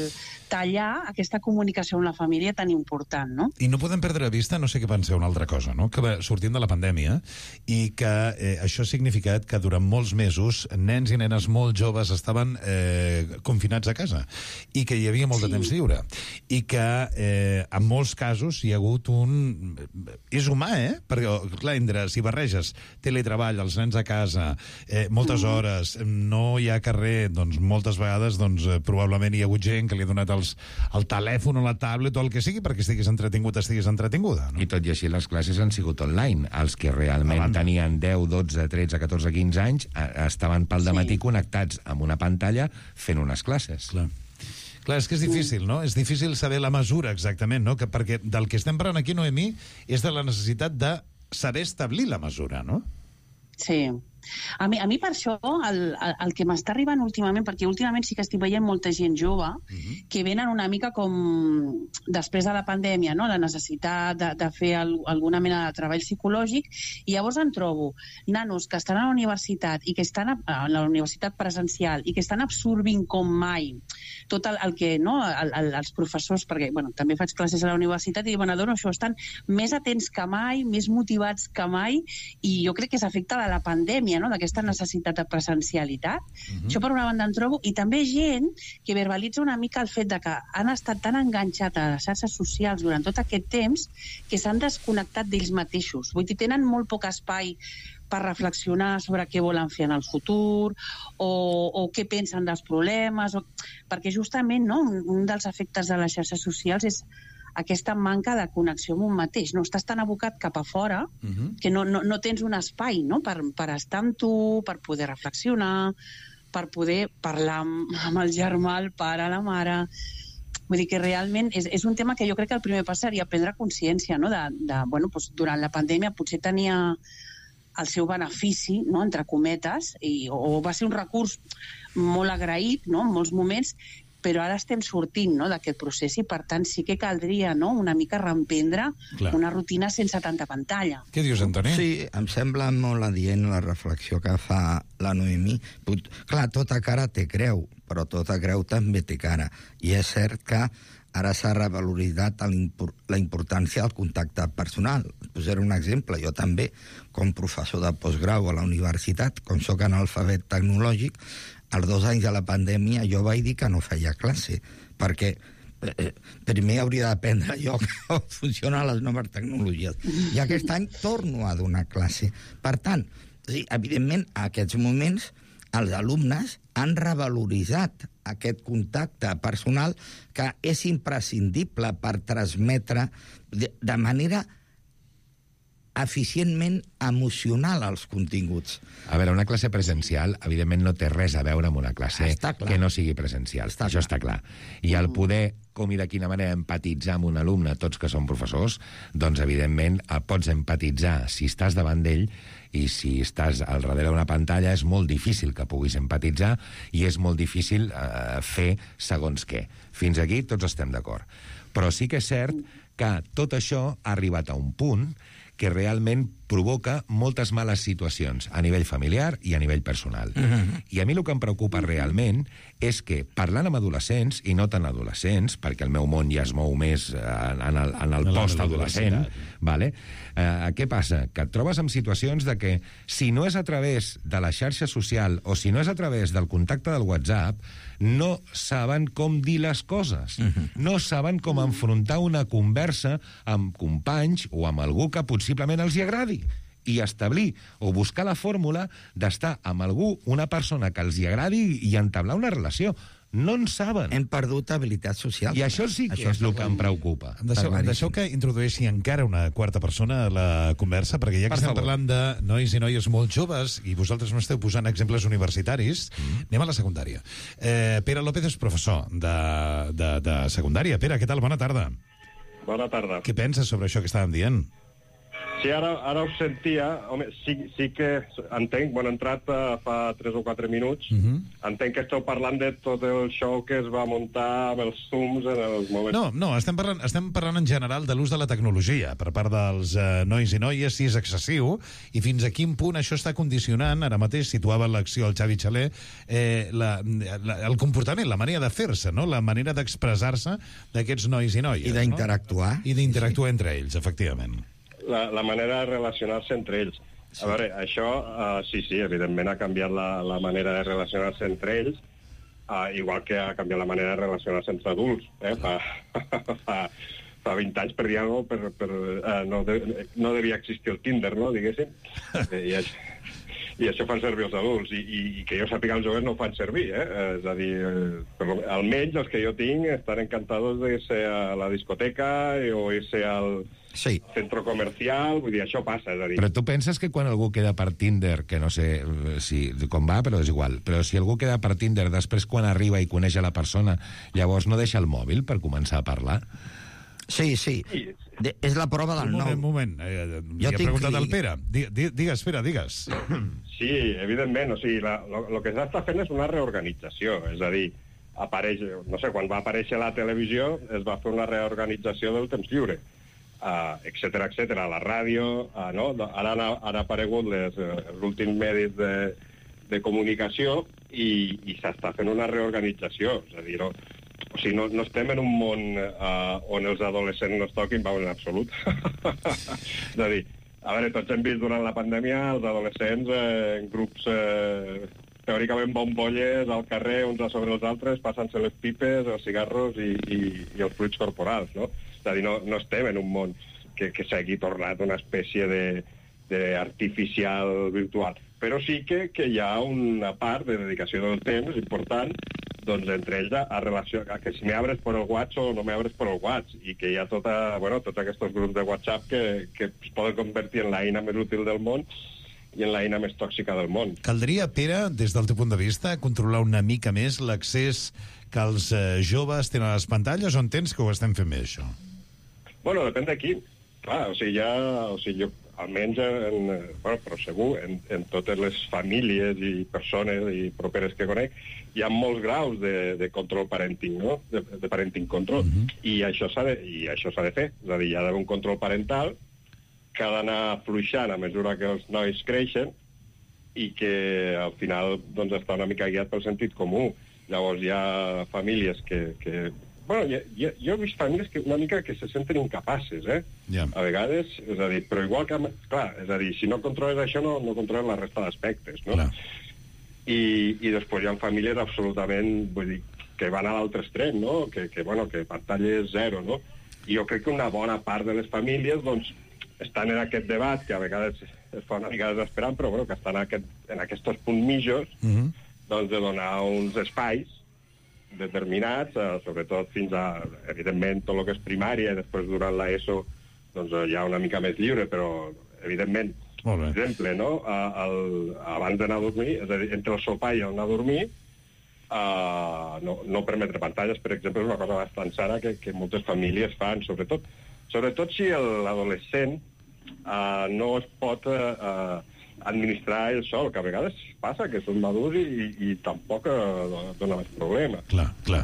tallar aquesta comunicació amb la família tan important, no? I no podem perdre de vista, no sé què penseu, una altra cosa, no? Que sortim de la pandèmia i que això ha significat que durant molts mesos nens i nenes molt joves estaven confinats a casa i que hi havia molt de temps lliure i que en molts casos hi ha hagut un... És humà, Perquè, clar, si barreges teletreball, els nens a casa, moltes hores, no hi ha carrer, doncs moltes vegades probablement hi ha hagut gent que li ha donat el telèfon o la tablet o el que sigui perquè estiguis entretinguda. No? I tot i així les classes han sigut online. Els que realment tenien 10, 12, 13, 14, 15 anys estaven pel dematí connectats amb una pantalla fent unes classes. Clar, és que és difícil, no? És difícil saber la mesura exactament, no? Perquè del que estem parlant aquí, Noemí, és de la necessitat de saber establir la mesura, no? Sí. A mi per això el que m'està arribant últimament, perquè últimament sí que estic veient molta gent jove que venen una mica com després de la pandèmia, no? La necessitat de fer alguna mena de treball psicològic, i llavors en trobo nanos que estan a la universitat i que estan a la universitat presencial i que estan absorbint com mai tot el que, no? Els professors, perquè també faig classes a la universitat i adono això, estan més atents que mai, més motivats que mai, i jo crec que és efecte de la pandèmia, no? D'aquesta necessitat de presencialitat. Això per una banda en trobo, i també gent que verbalitza una mica el fet de que han estat tan enganxats a les xarxes socials durant tot aquest temps que s'han desconnectat d'ells mateixos. Vull dir, tenen molt poc espai per reflexionar sobre què volen fer en el futur o què pensen dels problemes, perquè justament un dels efectes de les xarxes socials és aquesta manca de connexió amb un mateix. No estàs tan abocat cap a fora que no tens un espai, no? Per estar amb tu, per poder reflexionar, per poder parlar amb el germà, el pare, la mare. Vull dir que realment és un tema que jo crec que el primer pas seria prendre consciència, no? Durant la pandèmia potser tenia el seu benefici, no? Entre cometes, o va ser un recurs molt agraït, no? En molts moments, però ara estem sortint, no? D'aquest procés i, per tant, sí que caldria, no? Una mica reemprendre una rutina sense tanta pantalla. Què dius, Antoni? Sí, em sembla molt adient la reflexió que fa la Noemí. Clar, tota cara té creu, però tota creu també té cara. I és cert que ara s'ha revaloritzat la importància del contacte personal. Posaré un exemple. Jo també, com professor de postgrau a la universitat, com soc analfabet tecnològic, als 2 anys de la pandèmia jo vaig dir que no feia classe, perquè primer hauria d'aprendre jo com funcionen les noves tecnologies. I aquest any torno a donar classe. Per tant, evidentment, a aquests moments, els alumnes han revaloritzat aquest contacte personal que és imprescindible per transmetre de manera eficientment emocional als continguts. A veure, una classe presencial, evidentment, no té res a veure amb una classe que no sigui presencial. Això està clar. I el poder, com i de quina manera, empatitzar amb un alumne, tots que són professors, doncs, evidentment, pots empatitzar si estàs davant d'ell, i si estàs al darrere d'una pantalla és molt difícil que puguis empatitzar i és molt difícil fer segons què. Fins aquí tots estem d'acord. Però sí que és cert que tot això ha arribat a un punt que realment provoca moltes males situacions a nivell familiar i a nivell personal. I a mi el que em preocupa realment és que, parlant amb adolescents, i no tan adolescents, perquè el meu món ja es mou més en el post-adolescent, vale? Què passa? Que et trobes en situacions de que, si no és a través de la xarxa social o si no és a través del contacte del WhatsApp, no saben com dir les coses. No saben com enfrontar una conversa amb companys o amb algú que possiblement els hi agradi, i establir o buscar la fórmula d'estar amb algú, una persona que els hi agradi, i entablar una relació. No en saben. Hem perdut habilitat social. I això sí que és el que em preocupa. Deixeu que introdueixi encara una quarta persona a la conversa, perquè ja que estem parlant de nois i noies molt joves, i vosaltres no esteu posant exemples universitaris, anem a la secundària. Pere López és professor de secundària. Pere, què tal? Bona tarda. Bona tarda. Què penses sobre això que estàvem dient? Sí, ara us sentia... Home, sí que entenc, he entrat fa 3 o 4 minuts, entenc que esteu parlant de tot el show que es va muntar amb els Zooms en els moments... No, estem parlant en general de l'ús de la tecnologia per part dels nois i noies, si és excessiu, i fins a quin punt això està condicionant, ara mateix situava l'acció el Xavi Xaler, el comportament, la manera de fer-se, no? La manera d'expressar-se d'aquests nois i noies. I d'interactuar. I d'interactuar entre ells, efectivament. La manera de relacionar-se entre ells. A veure, això, sí, evidentment ha canviat la manera de relacionar-se entre ells, igual que ha canviat la manera de relacionar-se entre adults. Fa 20 anys, per dir alguna cosa, no devia existir el Tinder, no, diguéssim. I això fan servir els adults, i que jo sàpiga els joves no ho fan servir, és a dir, almenys els que jo tinc estan encantados de ser a la discoteca o irse al centre comercial, vull dir, això passa, és a dir... Però tu penses que quan algú queda per Tinder, que no sé com va, però és igual, però si algú queda per Tinder, després quan arriba i coneix a la persona, llavors no deixa el mòbil per començar a parlar? Sí. És la prova del nou. Un moment. Li he preguntat al Pere. Digues, Pere, digues. Sí, evidentment. O sigui, el que s'està fent és una reorganització. És a dir, apareix, no sé, quan va aparèixer la televisió es va fer una reorganització del temps lliure, etcètera, etcètera. La ràdio, no? Ara han aparegut els últims medis de comunicació i s'està fent una reorganització. És a dir, o sigui, no estem en un món on els adolescents no es toquin, en absolut. És a dir, a veure, tots hem vist durant la pandèmia els adolescents en grups teòricament bombolles al carrer, uns a sobre els altres, passant-se les pipes, els cigarros i els fluids corporals, no? És a dir, no estem en un món que s'hagi tornat una espècie d'artificial virtual. Però sí que hi ha una part de dedicació del temps important, doncs entre ells a relacionar, que si me abres per el WhatsApp o no me abres per el WhatsApp, i que hi ha tots aquests grups de WhatsApp que es poden convertir en l'eina més útil del món i en l'eina més tòxica del món. Caldria, Pere, des del teu punt de vista, controlar una mica més l'accés que els joves tenen a les pantalles, o entens que ho estem fent bé, això? Bueno, depèn de qui. Clar, jo, almenys, però segur, en totes les famílies i persones i properes que conec, hi ha molts graus de control parenting, no? De parenting control. I això s'ha de fer. És a dir, hi ha d'haver un control parental que ha d'anar afluixant a mesura que els nois creixen i que al final doncs, està una mica guiat pel sentit comú. Llavors hi ha famílies que bueno, jo he vist famílies que una mica que se senten incapaces, a vegades, és a dir, però igual que... Clar, és a dir, si no controles això, no controles la resta d'aspectes, no? I després hi ha famílies absolutament, vull dir, que van a l'altre extrem, no? Que pantalla és zero, no? I jo crec que una bona part de les famílies, doncs, estan en aquest debat, que a vegades es fa una mica desesperant, però bueno, que estan en aquests punts mitjos, doncs, de donar uns espais determinats, sobretot fins a, evidentment, tot el que és primària, i després durant l'ESO doncs, hi ha una mica més lliure, però evidentment, per exemple, no? Abans d'anar a dormir, és a dir, entre el sopar i anar a dormir, no permetre pantalles, per exemple, és una cosa bastant sana que moltes famílies fan, sobretot si l'adolescent no es pot administrar ell sol, que a vegades passa que són madurs i tampoc dona més problema. Clar.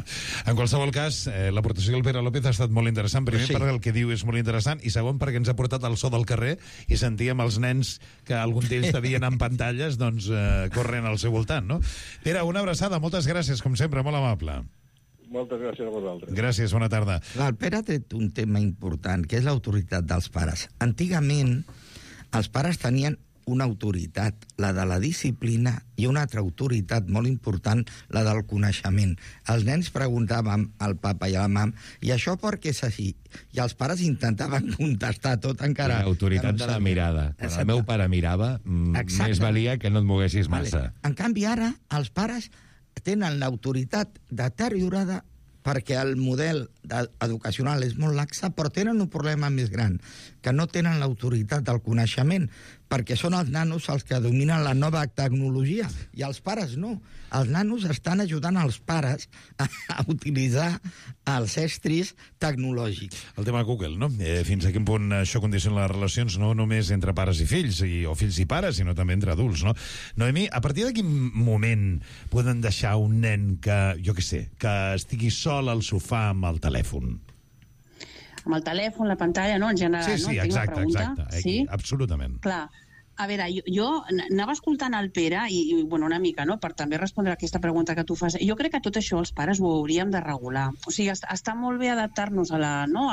En qualsevol cas, l'aportació del Pere López ha estat molt interessant. Primer, perquè el que diu és molt interessant, i segon, perquè ens ha portat el so del carrer i sentíem els nens que algun d'ells t'havien en pantalles, doncs, corrent al seu voltant, no? Pere, una abraçada, moltes gràcies, com sempre, molt amable. Moltes gràcies a vosaltres. Gràcies, bona tarda. El Pere ha tret un tema important, que és l'autoritat dels pares. Antigament, els pares tenien una autoritat, la de la disciplina, i una altra autoritat molt important, la del coneixement. Els nens preguntaven al papa i a la mam, i això per què és així? I els pares intentaven contestar tot encara. L'autoritat de la mirada. Quan el meu pare mirava, més valia que no et moguessis massa. En canvi, ara, els pares tenen l'autoritat deteriorada perquè el model educacional és molt laxa, però tenen un problema més gran, que no tenen l'autoritat del coneixement, perquè són els nanos els que dominen la nova tecnologia, i els pares no. Els nanos estan ajudant els pares a utilitzar els estris tecnològics. El tema Google, no? Fins a quin punt això condiciona les relacions no només entre pares i fills, o fills i pares, sinó també entre adults, no? Noemí, a partir de quin moment poden deixar un nen que, jo què sé, que estigui sol al sofà amb el telèfon? Amb el telèfon, la pantalla, no? En general, sí, no? Exacte. Sí? Absolutament. Clar. A veure, jo anava escoltant el Pere i una mica, no?, per també respondre a aquesta pregunta que tu fas. Jo crec que tot això els pares ho hauríem de regular. O sigui, està molt bé adaptar-nos a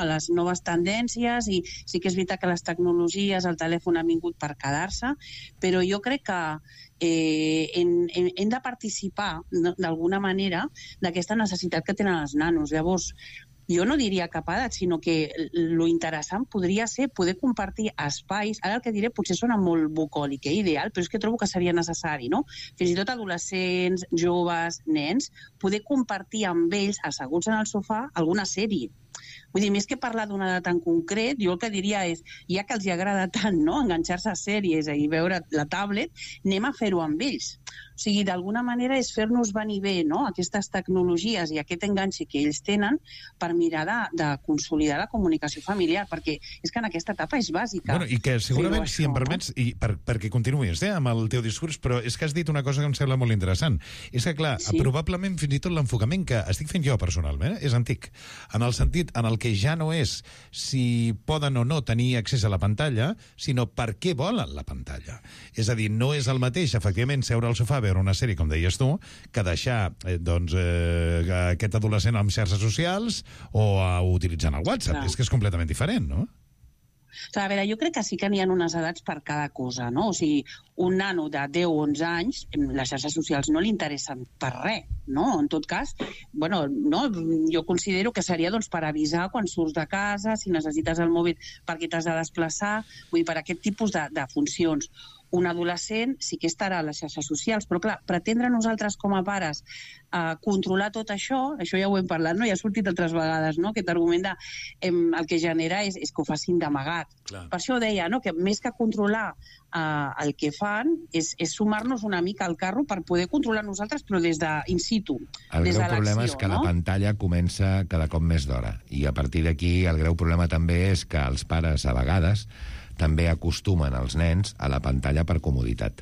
les noves tendències, i sí que és veritat que les tecnologies, el telèfon han vingut per quedar-se, però jo crec que hem de participar d'alguna manera d'aquesta necessitat que tenen els nanos. Llavors, jo no diria cap edat, sinó que lo interessant podria ser poder compartir espais. Ara el que diré potser sona molt bucòlic, ideal, però és que trobo que seria necessari, no? Fins i tot adolescents, joves, nens, poder compartir amb ells, asseguts en el sofà, alguna sèrie. Vull dir, més que parlar d'una edat en concret, jo el que diria és, ja que els hi agrada tant, no?, enganxar-se a sèries i veure la tablet, anem a fer-ho amb ells. O sigui, d'alguna manera és fer-nos venir bé, no?, aquestes tecnologies i aquest enganxi que ells tenen per mirar de consolidar la comunicació familiar, perquè és que en aquesta etapa és bàsica. Bueno, i que segurament, si em permets, i perquè continuïs amb el teu discurs, però és que has dit una cosa que em sembla molt interessant. És que, clar, probablement fins i tot l'enfocament que estic fent jo personalment és antic, en el sentit en el que ja no és si poden o no tenir accés a la pantalla, sinó per què volen la pantalla. És a dir, no és el mateix, efectivament, seure al sofà a veure una sèrie, com deies tu, que deixar aquest adolescent amb xarxes socials o utilitzant el WhatsApp. És que és completament diferent, no? A veure, jo crec que sí que n'hi ha unes edats per cada cosa, no? O sigui, un nano de 10 o 11 anys, les xarxes socials no li interessen per res, no? En tot cas, bueno, no, jo considero que seria per avisar quan surts de casa, si necessites el mòbil perquè t'has de desplaçar, vull dir, per aquest tipus de funcions. Un adolescent sí que estarà a les xarxes socials, però clar, pretendre nosaltres com a pares controlar tot això ja ho hem parlat, no? Ja ha sortit altres vegades, no? Aquest argument el que genera és que ho facin d'amagat. Per això deia, no?, que més que controlar el que fan és sumar-nos una mica al carro per poder controlar nosaltres, però des d'in situ, des de l'acció. El greu problema és que la pantalla comença cada cop més d'hora, i a partir d'aquí el greu problema també és que els pares a vegades també acostumen els nens a la pantalla per comoditat.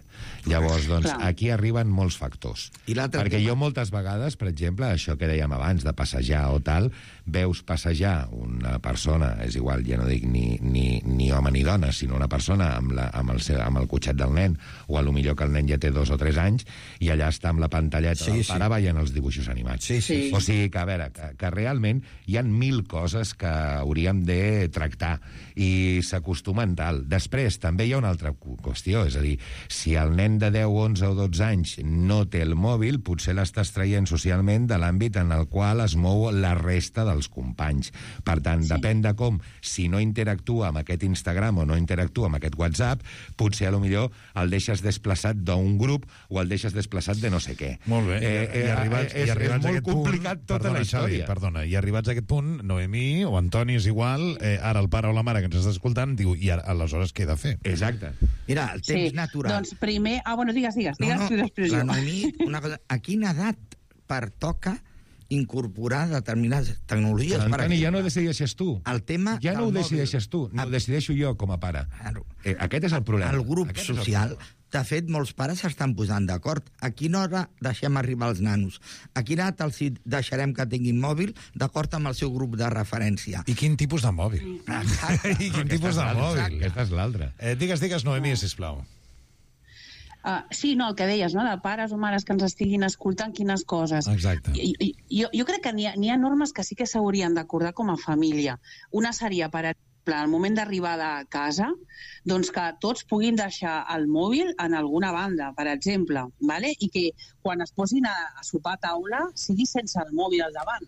Llavors, doncs, aquí arriben molts factors. Perquè jo moltes vegades, per exemple, això que dèiem abans, de passejar o tal, veus passejar una persona, és igual, ja no dic ni home ni dona, sinó una persona amb el cotxet del nen, o a lo millor que el nen ja té 2 o 3 anys, i allà està amb la pantalleta del pare veient els dibuixos animats. O sigui que, a veure, que realment hi ha 1000 coses que hauríem de tractar, i s'acostumen tal. Després, també hi ha una altra qüestió, és a dir, si el nen de 10, 11 o 12 anys no té el mòbil, potser l'estàs traient socialment de l'àmbit en el qual es mou la resta dels companys. Per tant, depèn de com, si no interactua amb aquest Instagram o no interactua amb aquest WhatsApp, potser a lo millor el deixes desplaçat d'un grup o el deixes desplaçat de no sé què. Molt bé. És molt complicat tota la història. Perdona, i arribats a aquest punt, Noemí o Antoni és igual, ara el pare o la mare que ens està escoltant diu, i ara aleshores què he de fer? Exacte. Mira, el temps natural. Doncs primer... digues tu després jo. La Noemí, una cosa, a quina edat pertoca incorporar determinades tecnologies? Antoni, ja no ho decideixes tu. El tema ja no ho decideixes tu, no ho decideixo jo com a pare. Aquest és el problema. El grup social... De fet, molts pares s'estan posant d'acord. A quina hora deixem arribar els nanos? A quina edat els deixarem que tinguin mòbil d'acord amb el seu grup de referència? I quin tipus de mòbil? I quin tipus de mòbil? Aquesta és l'altra. Digues, Noemí, sisplau. Sí, no, el que deies, no?, de pares o mares que ens estiguin escoltant quines coses. Exacte. Jo crec que n'hi ha normes que sí que s'haurien d'acordar com a família. Una seria, per exemple, al moment d'arribada a casa, doncs que tots puguin deixar el mòbil en alguna banda, per exemple, ¿vale? I que quan es posin a sopar a taula sigui sense el mòbil al davant.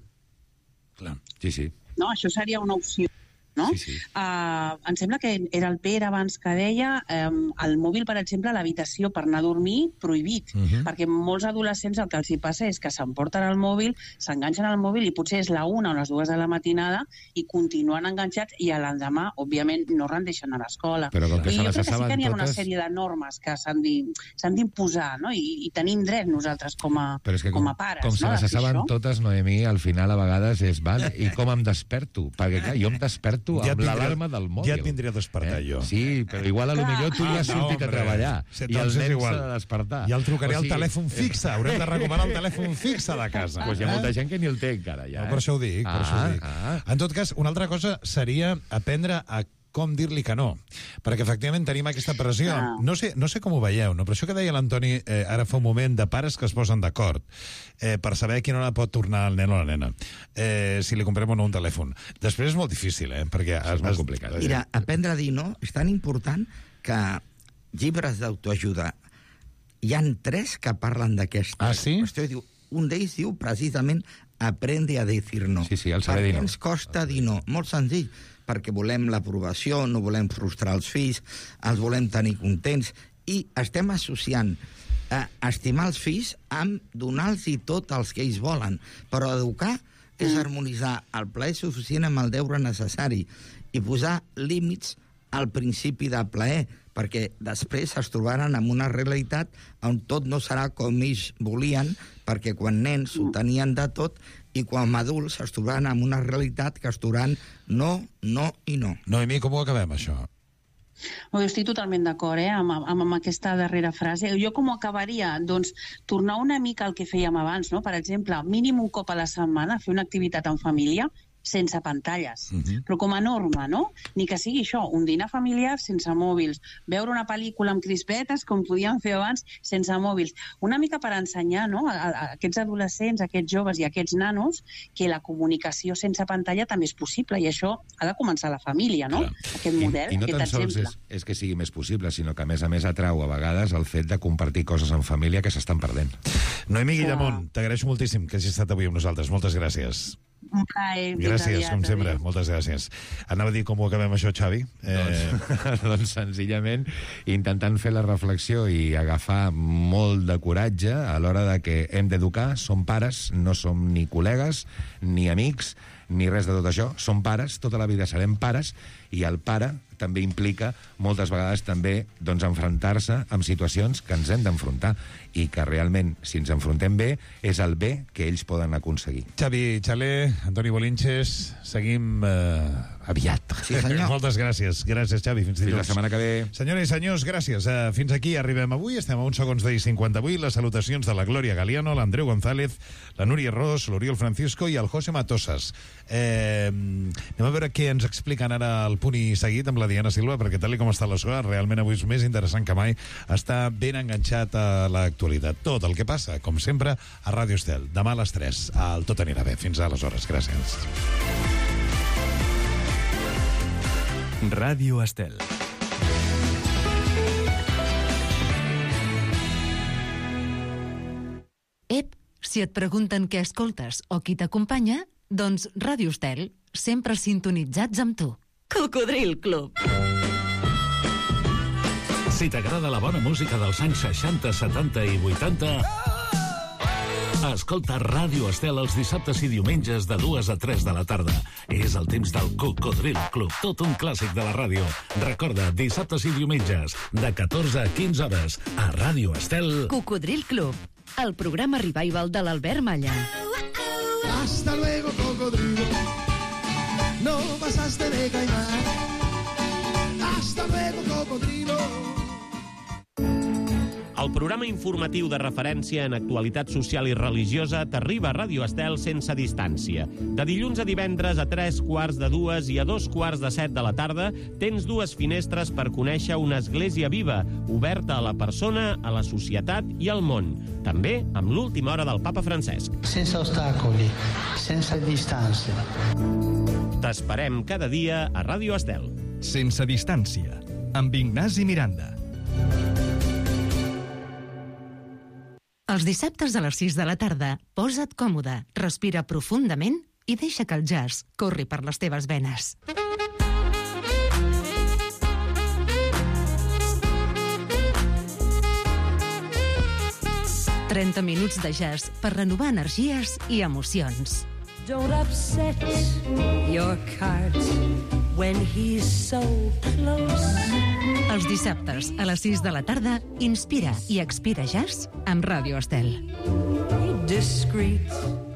Clar. Sí. No? Això seria una opció. No? Sí. Em sembla que era el Pere abans que deia el mòbil, per exemple, a l'habitació per anar a dormir, prohibit. Perquè molts adolescents el que els hi passa és que s'emporten el mòbil, s'enganxen al mòbil i potser és la 1 o les 2 de la matinada i continuen enganxats i a l'endemà, òbviament, no rendeixen a l'escola. Però com que I jo crec que sí saben que n'hi ha una totes... sèrie de normes que s'han d'imposar, no? I tenim dret nosaltres com a pares. Com se les saben totes, Noemí, al final a vegades és, val, i com em desperto? Perquè clar, jo em desperto amb l'alarma del mòbil. Ja et vindria a despertar jo. Sí, però igual a lo millor tu ja has sortit a treballar i el nen s'ha de despertar. Ja el trucaré al telèfon fixe. Haurem de recomanar el telèfon fixe de casa. Doncs hi ha molta gent que ni el té encara, ja. Per això ho dic, En tot cas, una altra cosa seria aprendre a com dir-li que no. Perquè, efectivament, tenim aquesta pressió. No sé com ho veieu, no? Però això que deia l'Antoni ara fa un moment, de pares que es posen d'acord per saber a quina hora pot tornar el nen o la nena. Si li comprem o no un telèfon. Després és molt difícil, perquè és molt complicat. Mira, aprendre a dir no és tan important que llibres d'autoajuda hi han 3 que parlen d'aquesta qüestió. Un d'ells diu precisament aprende a decir no. Sí, el saber dir no. Per què ens costa dir no? Molt senzill. Perquè volem l'aprovació, no volem frustrar els fills, els volem tenir contents, i estem associant estimar els fills amb donar-los tot els que ells volen. Però educar és harmonitzar el plaer suficient amb el deure necessari i posar límits al principi de plaer, perquè després es trobaran amb una realitat on tot no serà com ells volien, perquè quan nens ho tenien de tot i quan adults es trobaran amb una realitat que es trobaran no i no. Noemí, com ho acabem, això? Jo estic totalment d'acord amb aquesta darrera frase. Jo com ho acabaria? Doncs tornar una mica al que fèiem abans, no? Per exemple, mínim un cop a la setmana fer una activitat en família sense pantalles, però com a norma, no? Ni que sigui això, un dinar familiar sense mòbils, veure una pel·lícula amb crispetes, com podíem fer abans, sense mòbils. Una mica per ensenyar, no?, a aquests adolescents, a aquests joves i a aquests nanos que la comunicació sense pantalla també és possible, i això ha de començar a la família, no? Aquest model, I no aquest tan sols exemple. és que sigui més possible, sinó que a més atrau a vegades el fet de compartir coses en família que s'estan perdent. Noemí Guillamont, t'agraeixo moltíssim que hagis estat avui amb nosaltres. Moltes gràcies. Un plaer. Gràcies, com sempre. Moltes gràcies. Anava a dir com ho acabem això, Xavi? Doncs senzillament intentant fer la reflexió i agafar molt de coratge a l'hora de que hem d'educar. Som pares, no som ni col·legues, ni amics, ni res de tot això. Som pares, tota la vida serem pares, i el pare també implica moltes vegades també enfrontar-se amb situacions que ens hem d'enfrontar i que realment, si ens enfrontem bé, és el bé que ells poden aconseguir. Xavi Xaler, Antoni Bolinches, seguim aviat. Sí, senyor. Moltes gràcies. Gràcies, Xavi. Fins dilluns. Fins la setmana que ve. Senyores i senyors, gràcies. Fins aquí arribem avui. Estem a uns segons d'ahir 58. Les salutacions de la Glòria Galiano, l'Andreu González, la Núria Ros, l'Oriol Francisco i el José Matosas. Anem a veure què ens expliquen ara al Punt i Seguit amb la Diana Silva, perquè tal com està la cosa, realment avui és més interessant que mai. Està ben enganxat a l'actualitat. Tot el que passa, com sempre, a Ràdio Estel. Demà a les 3. El Tot anirà bé. Fins aleshores. Gràcies. Ràdio Estel. Ep, si et pregunten què escoltes o qui t'acompanya, doncs Ràdio Estel, sempre sintonitzats amb tu. Cocodril Club. Si t'agrada la bona música dels anys 60, 70 i 80, Escolta Ràdio Estel els dissabtes i diumenges de 2 a 3 de la tarda. És el temps del Cocodril Club, tot un clàssic de la ràdio. Recorda, dissabtes i diumenges, de 14 a 15 hores, a Ràdio Estel. Cocodril Club, el programa revival de l'Albert Malla. Hasta luego, cocodrilo. No pasaste de caimán. Hasta luego, cocodrilo. El programa informatiu de referència en actualitat social i religiosa t'arriba a Ràdio Estel sense distància. De dilluns a divendres a 3:45 i a 2:45 de la tarda tens dues finestres per conèixer una església viva, oberta a la persona, a la societat i al món. També amb l'última hora del papa Francesc. Sense ostacoli, sense distància. T'esperem cada dia a Ràdio Estel. Sense distància, amb Ignasi Miranda. Els dissabtes a les 6 de la tarda, posa't còmode, respira profundament i deixa que el jazz corri per les teves venes. «30 minuts de jazz per renovar energies i emocions». Don't upset your cart when he's so close. Els dissabtes a les 6 de la tarda, inspira i expira jazz amb Ràdio Estel. Discreet